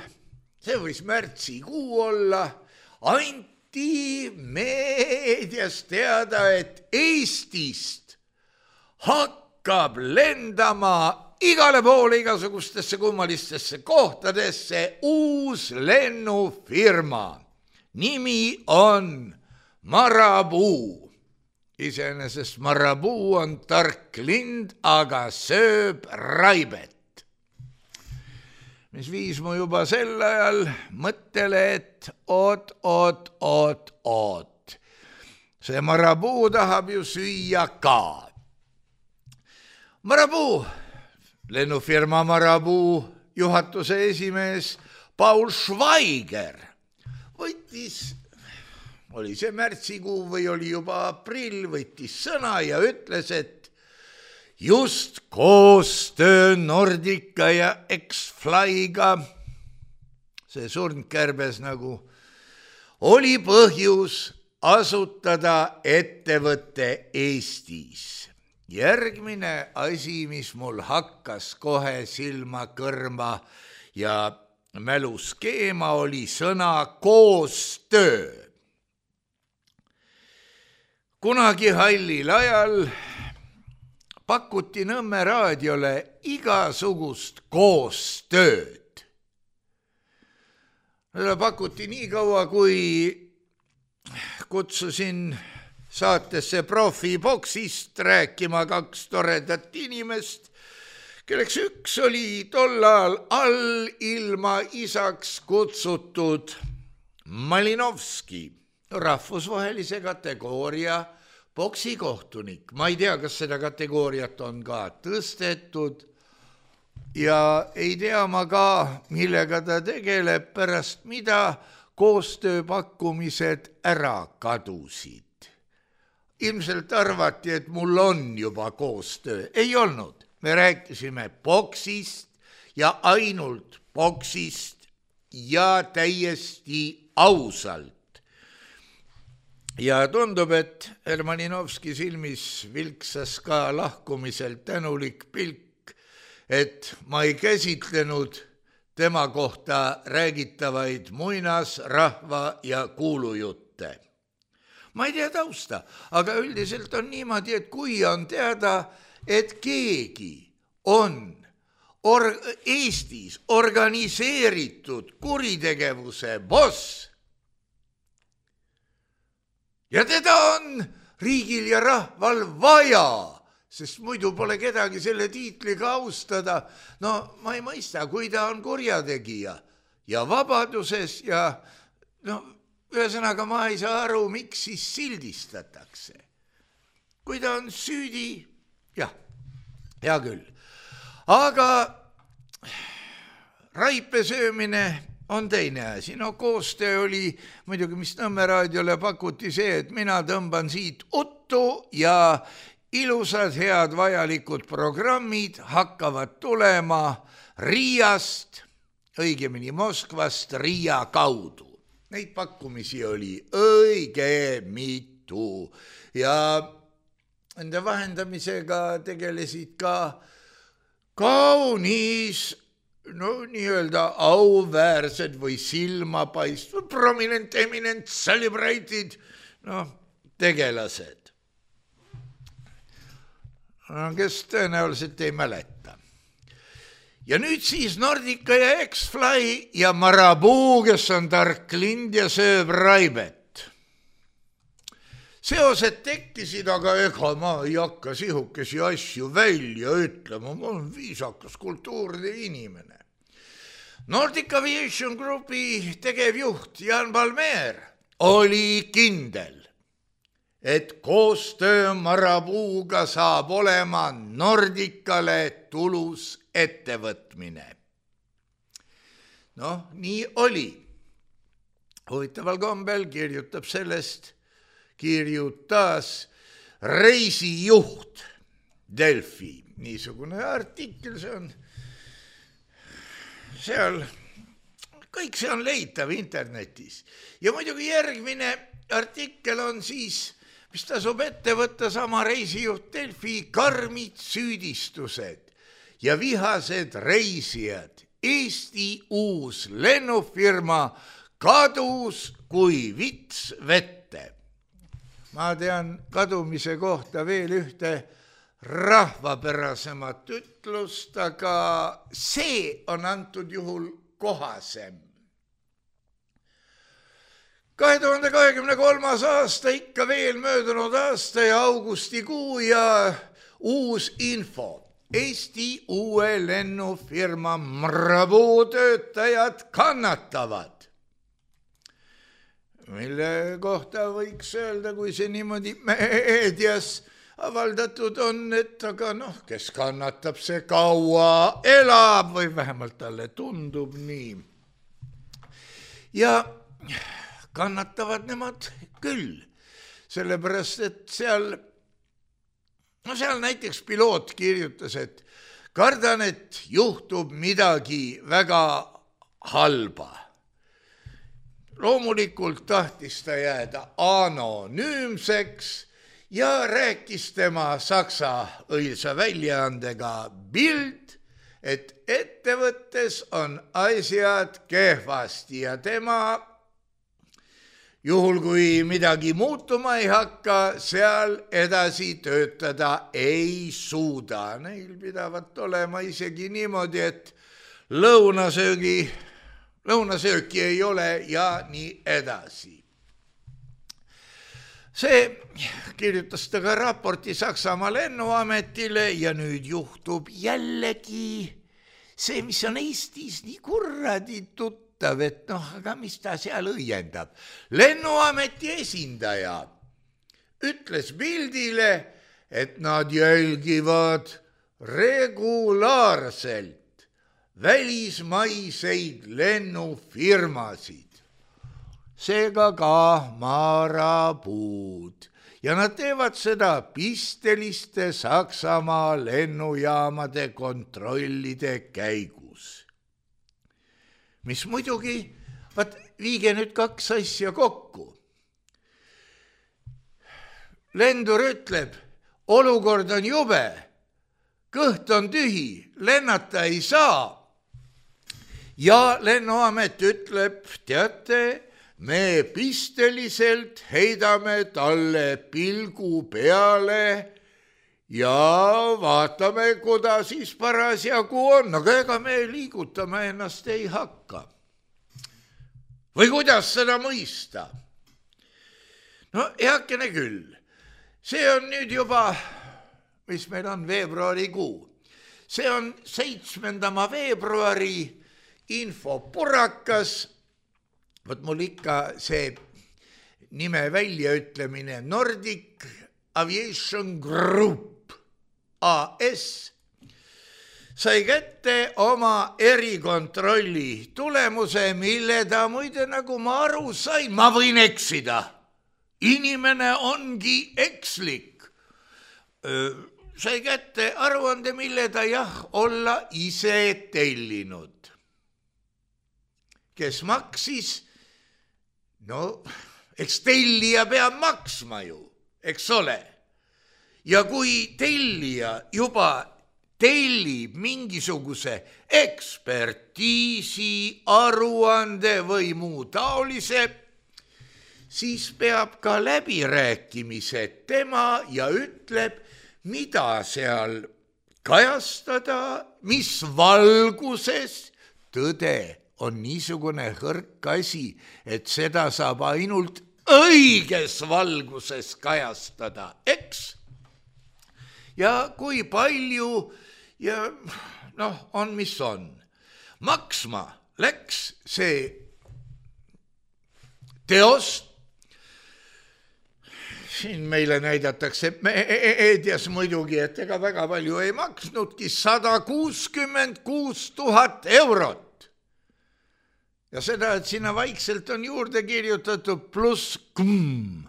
see võis märtsikuu olla, anti meedias teada, et Eestist hakkab lendama igale poole igasugustesse kummalistesse kohtadesse uus lennufirma. Nimi on Marabou. Iseenesest Marabou on tark lind, aga sööb raibet. Mis viis mu juba sel ajal mõttele, et oot. See Marabou tahab ju süüa ka. Marabou, lennufirma Marabou juhatuse esimees Paul Schweiger võttis, oli see märtsikuu või oli juba aprill, võttis sõna ja ütles, et just koostöö Nordica ja X-Flyga, see surndkärbes nagu, oli põhjus asutada ettevõtte Eestis. Järgmine asi, mis mul hakkas kohe silma kõrma ja mälus keema, oli sõna koostöö. Kunagi hallil ajal pakuti Nõmme raadiole igasugust koostööd. Pakuti nii kaua, kui kutsusin saatesse profiboksist rääkima 2 toredat inimest, kelleks üks oli tollal all ilma isaks kutsutud Malinovski, rahvusvahelise kategooria boksikohtunik. Ma ei tea, kas seda kategooriat on ka tõstetud ja ei tea ma ka, millega ta tegeleb, pärast mida koostööpakkumised ära kadusid. Ilmselt arvati, et mul on juba koostöö. Ei olnud. Me rääkisime boksist ja ainult boksist ja täiesti ausalt. Ja tundub, et Hermaninovski silmis vilksas ka lahkumiselt tänulik pilk, et ma ei käsitlenud tema kohta räägitavaid muinasrahva ja kuulujutte. Ma ei tea tausta, aga üldiselt on niimoodi, et kui on teada, et keegi on Eestis organiseeritud kuritegevuse boss, ja teda on riigil ja rahval vaja, sest muidu pole kedagi selle tiitliga austada. No ma ei mõista, kui ta on kurjategija ja vabaduses ja ühesõnaga ma ei saa aru, miks siis sildistatakse. Kui ta on süüdi, jah, hea küll. Aga raipe söömine on teine asi. No koostöö oli muidugi, mis Nõmme raadiole pakuti see, et mina tõmban siit uttu ja ilusad, head, vajalikud programmid hakkavad tulema Riiast, õigemini Moskvast Riia kaudu. Neid pakkumisi oli õige mitu ja nende vahendamisega tegelesid ka kaunis nii-öelda auväärsed või silmapaistvad, prominent, eminent, celebrated, tegelased. Kes tõenäoliselt ei mäleta. Ja nüüd siis Nordica ja X-Fly ja Marabou, kes on tark lind ja sööb raibet. Seosed tekkisid, aga ega ma ei hakka sihukesi asju välja ütlema, ma olen viisakas kultuurne inimene. Nordic Aviation Groupi tegevjuht Jan Palmér oli kindel, et koostöö Marabouga saab olema Nordicale tulus ettevõtmine. Nii oli. Huvitaval kombel kirjutas reisijuht Delfi. Niisugune artikkel, see on seal, kõik see on leitav internetis. Ja muidugi järgmine artikkel on siis, mis tasub ette võtta sama reisijuht Delfi, karmid süüdistused ja vihased reisijad. Eesti uus lennufirma kadus kui vits vette. Ma tean kadumise kohta veel ühte rahvapärasemat ütlust, aga see on antud juhul kohasem. 2023. aasta, ikka veel möödunud aasta ja augustikuu ja uus info. Eesti uue lennufirma Marabou töötajad kannatavad. Mille kohta võiks öelda, kui see niimoodi meedias avaldatud on, et aga kes kannatab, see kaua elab või vähemalt talle tundub nii. Ja kannatavad nemad küll, sellepärast, et seal näiteks piloot kirjutas, et kardan, et juhtub midagi väga halba. Loomulikult tahtis ta jääda anonüümseks ja rääkis tema saksa õilsa väljaandega Bild, et ettevõttes on asjad kehvasti ja tema, juhul kui midagi muutuma ei hakka, seal edasi töötada ei suuda. Neil pidavat olema isegi niimoodi, et lõunasööki ei ole ja nii edasi. See kirjutas ta ka raporti Saksamaa lennuametile ja nüüd juhtub jällegi see, mis on Eestis nii kuradi tuttav, et aga mis ta seal õiendab. Lennuameti esindaja ütles Bildile, et nad jälgivad regulaarselt välismaiseid lennufirmasid, seega ka Maraboud. Ja nad teevad seda pisteliste Saksamaa lennujaamade kontrollide käigus. mis muidugi, viige nüüd kaks asja kokku. Lendur ütleb, olukord on jube, kõht on tühi, lennata ei saa. Ja lennuamet ütleb, teate, me pisteliselt heidame talle pilgu peale ja vaatame, kuda siis parasjagu on, aga ega me liigutama ennast ei hakka. Või kuidas seda mõista? No heakene küll, see on nüüd juba, mis meil on veebruarikuu, see on 7. veebruari infopurakas, mul ikka see nime väljaütlemine Nordic Aviation Group AS sai kätte oma erikontrolli tulemuse, mille ta muide, nagu ma aru sain, ma võin eksida. Inimene ongi ekslik. Sai kätte aruande, mille ta olla ise tellinud. Kes maksis? No, eks tellija peab maksma ju, eks ole. Ja kui tellija juba tellib mingisuguse ekspertiisi, aruande või muu taolise, siis peab ka läbirääkimised tema ja ütleb, mida seal kajastada, mis valguses. Tõde on niisugune hõrk asi, et seda saab ainult õiges valguses kajastada, eks? Ja kui palju ja on, mis on. Maksma läks see teost. Siin meile näidatakse meedias muidugi, et ega väga palju ei maksnudki, 166 000 eurot. Ja seda, et sinna vaikselt on juurde kirjutatud pluss km.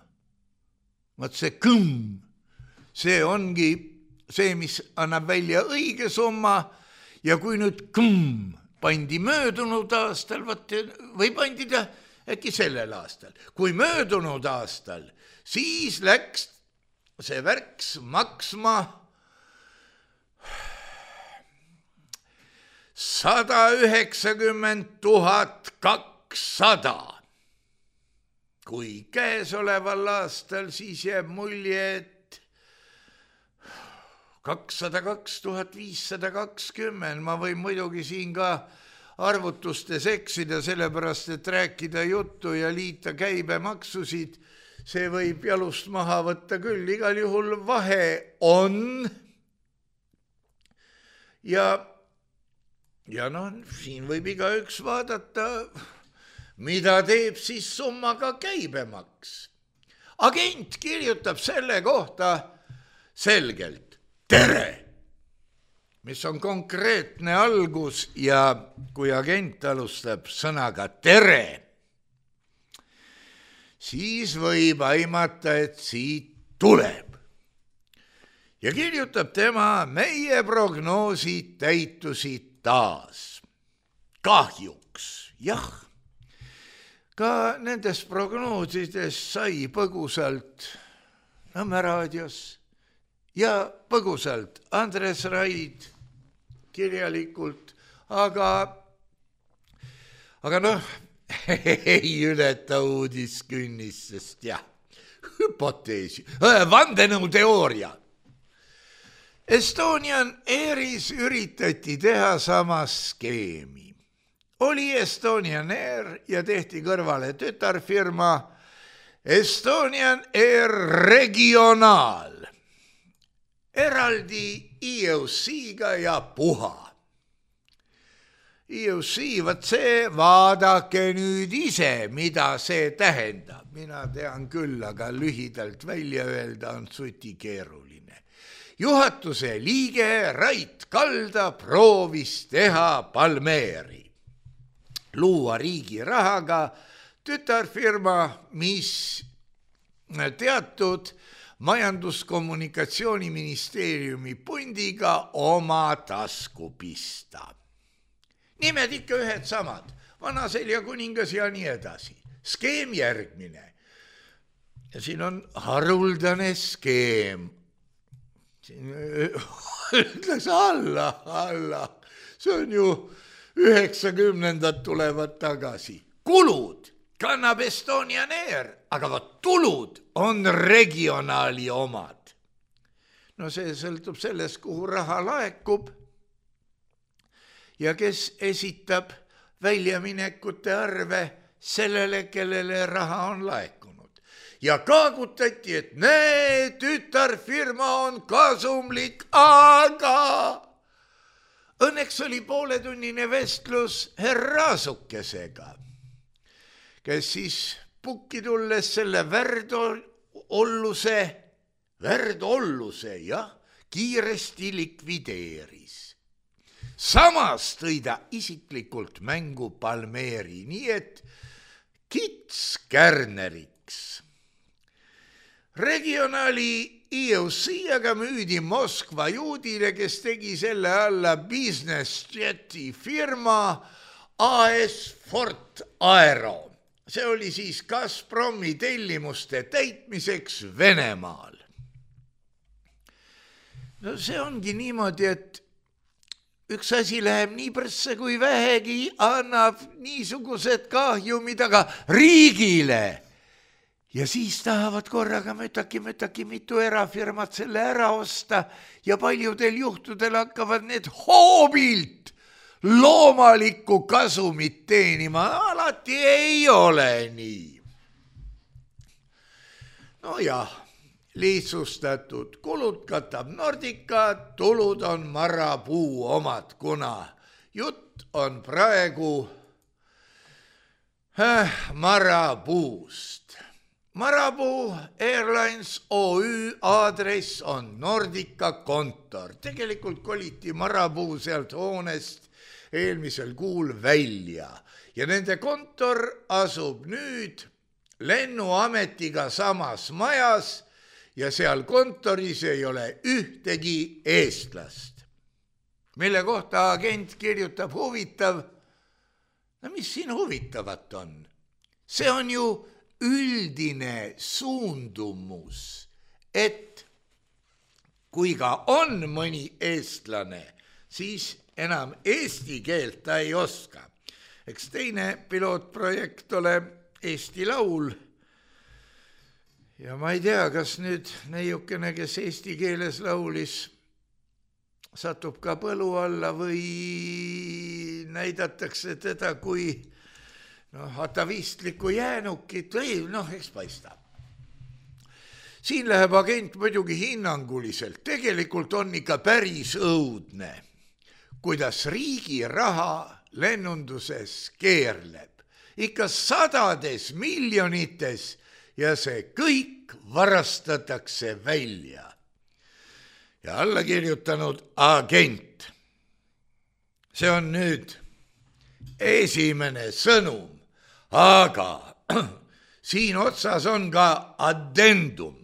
Vaat see km, see ongi see, mis annab välja õige summa ja kui nüüd km pandi möödunud aastal, või pandi ta äkki sellel aastal, kui möödunud aastal, siis läks see värks maksma 190 200. Kui käesoleval aastal, siis jääb mulje, et 202 520. Ma võin muidugi siin ka arvutustes eksida, sellepärast, et rääkida juttu ja liita käibemaksusid, see võib jalust maha võtta küll. Igal juhul vahe on. Ja siin võib igaüks vaadata, mida teeb siis summaga käibemaks. Agent kirjutab selle kohta selgelt tere, mis on konkreetne algus ja kui agent alustab sõnaga tere, siis võib aimata, et siit tuleb. Ja kirjutab tema, meie prognoosid täitusid taas. Kahjuks, jah. Ka nendes prognoosides sai põgusalt Nõmme raadios ja põgusalt Andres Raid kirjalikult, aga ei ületa uudiskünnist, sest hüpoteesi, vandenõuteooria. Estonian Airis üritati teha sama skeemi. Oli Estonian Air ja tehti kõrvale tütarfirma Estonian Air Regionaal. Eraldi EOC-ga ja puha. EOC, vaadake nüüd ise, mida see tähendab. Mina tean küll, aga lühidalt välja öelda on suti keeruline. Juhatuse liige Rait Kalda proovis teha Palmeeri. Luua riigi rahaga tütarfirma, mis teatud majandus-kommunikatsiooniministeeriumi pundiga oma tasku pista. Nimed ikka ühed samad. Vanaselja kuningas ja nii edasi. Skeem järgmine. Ja siin on haruldane skeem. Siin ütles alla. See on ju 90-ndad tulevad tagasi. Kulud kannab Estonian Air, aga tulud on regionaali omad. No see sõltub sellest, kuhu raha laekub ja kes esitab väljaminekute arve sellele, kellele raha on laekunud. Ja kaagutati, et näe, tütarfirma on kasumlik, aga õnneks oli pooletunnine vestlus Raasukesega, kes siis pukki tulles selle värdolluse kiiresti likvideeris. Samas tõi ta isiklikult mängu Palmeeri, nii et kits kärneriks. Regionaali EOC aga müüdi Moskva juudile, kes tegi selle alla business jeti firma AS Fort Aero. See oli siis Gazpromi tellimuste täitmiseks Venemaal. No see ongi niimoodi, et üks asi läheb nii presse, kui vähegi annab niisugused kahjumid, aga riigile. Ja siis tahavad korraga mütaki mitu erafirmat selle ära osta ja paljudel juhtudel hakkavad need hoobilt loomalikku kasumit teenima. Alati ei ole nii. No jah. Lihtsustatud kulud katab Nordica, tulud on Marabou omad, kuna jutt on praegu Marabou'st. Marabou Airlines OÜ aadress on Nordica kontor. Tegelikult koliti Marabou sealt hoonest eelmisel kuul välja ja nende kontor asub nüüd lennuametiga samas majas ja seal kontoris ei ole ühtegi eestlast. Mille kohta agent kirjutab huvitav. No mis siin huvitavat on? See on ju üldine suundumus, et kui ka on mõni eestlane, siis enam eesti keelt ta ei oska. Eks teine pilootprojekt ole Eesti Laul. Ja ma ei tea, kas nüüd neiukene, kes eesti keeles laulis, satub ka põlu alla või näidatakse teda kui atavistlikku jäänukit või eks paistab. Siin läheb agent muidugi hinnanguliselt. Tegelikult on ikka päris õudne, kuidas riigi raha lennunduses keerleb. Ikka sadades miljonites ja see kõik varastatakse välja. Ja alla kirjutanud agent. See on nüüd esimene sõnum, aga siin otsas on ka addendum.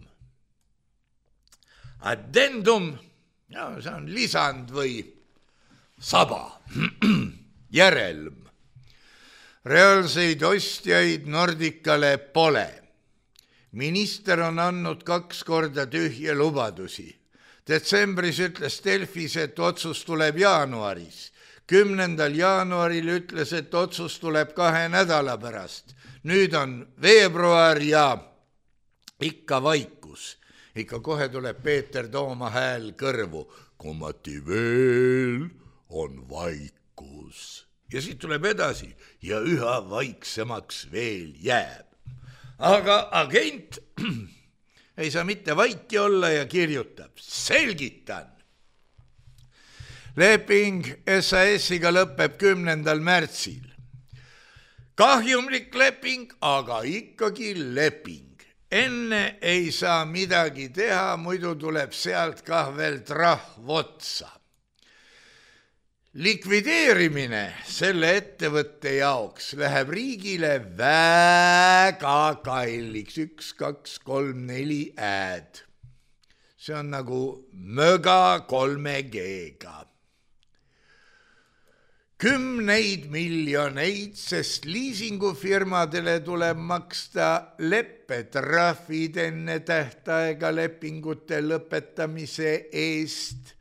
Addendum, see on lisand või saba, järelm. Reaalseid ostjaid Nordicale pole. Minister on andnud 2 korda tühje lubadusi. Detsembris ütles Delfis, et otsus tuleb jaanuaris. 10. jaanuaril ütles, et otsus tuleb 2 nädala pärast. Nüüd on veebruar ja ikka vaikus. Ikka kohe tuleb Peeter Tooma hääl kõrvu. Kommati veel on vaikus. Ja siit tuleb edasi ja üha vaiksemaks veel jääb. Aga agent ei saa mitte vaiki olla ja kirjutab. Selgitan. Leping SAS-iga lõpeb 10. märtsil. Kahjumlik leping, aga ikkagi leping. Enne ei saa midagi teha, muidu tuleb sealt kah veel trahv otsa. Likvideerimine selle ettevõtte jaoks läheb riigile väga kalliks. 1, 2, 3, 4 ääd. See on nagu möga 3G-ga. 10 miljoneid, sest liisingufirmadele tuleb maksta leppetrahvid enne tähtaega lepingute lõpetamise eest.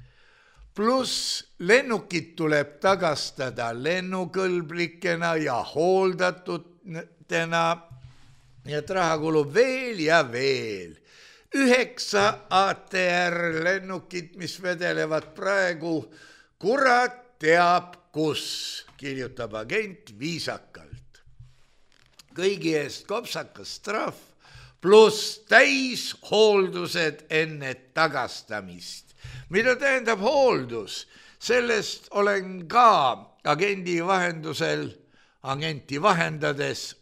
Pluss lennukid tuleb tagastada lennukõlblikena ja hooldatutena ja raha kulub veel ja veel. 9 ATR lennukid, mis vedelevad praegu, kurat teab kus, kirjutab agent viisakalt. Kõigi eest kopsakas trahv pluss täishooldused enne tagastamist. Mida tähendab hooldus? Sellest olen ka agenti vahendades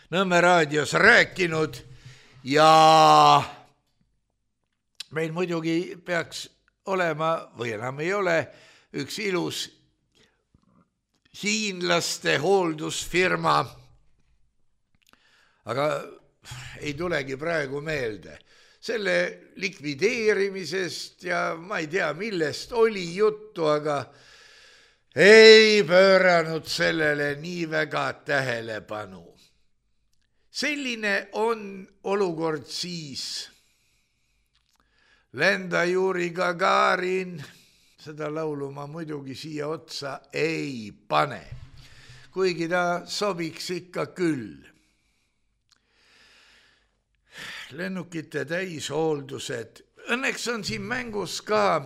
Nõmme raadios rääkinud ja meil muidugi peaks olema, või enam ei ole, üks ilus hiinlaste hooldusfirma, aga ei tulegi praegu meelde. Selle likvideerimisest ja ma ei tea, millest oli juttu, aga ei pööranud sellele nii väga tähelepanu. Selline on olukord siis. Lenda Juri Gagarin, seda laulu ma muidugi siia otsa ei pane, kuigi ta sobiks ikka küll. Lennukite täishooldused. Õnneks on siin mängus ka,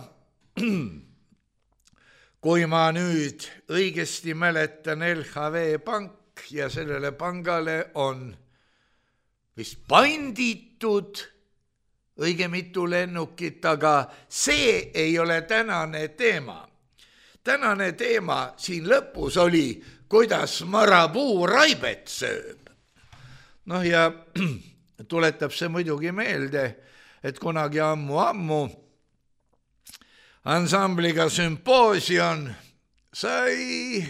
kui ma nüüd õigesti mäletan, LHV pank ja sellele pangale on vist panditud õige mitu lennukit, aga see ei ole tänane teema. Tänane teema siin lõpus oli, kuidas marapuu raibet sööb. Noh ja tuletab see muidugi meelde, et kunagi ammu ansambliga Sümposion sai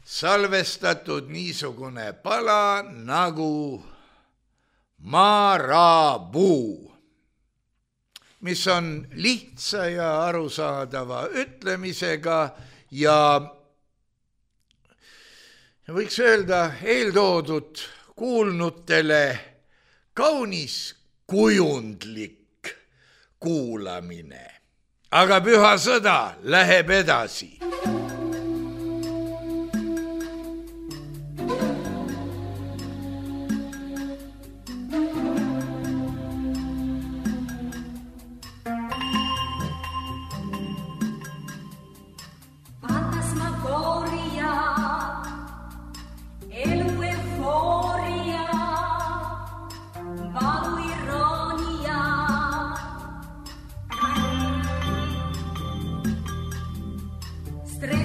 salvestatud niisugune pala nagu Marabuu, mis on lihtsa ja arusaadava ütlemisega ja võiks öelda eeltoodud kuulnutele kaunis kujundlik kuulamine. Aga püha sõda läheb edasi. Stre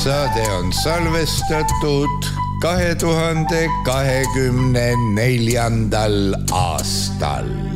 saade on salvestatud 2024. aastal.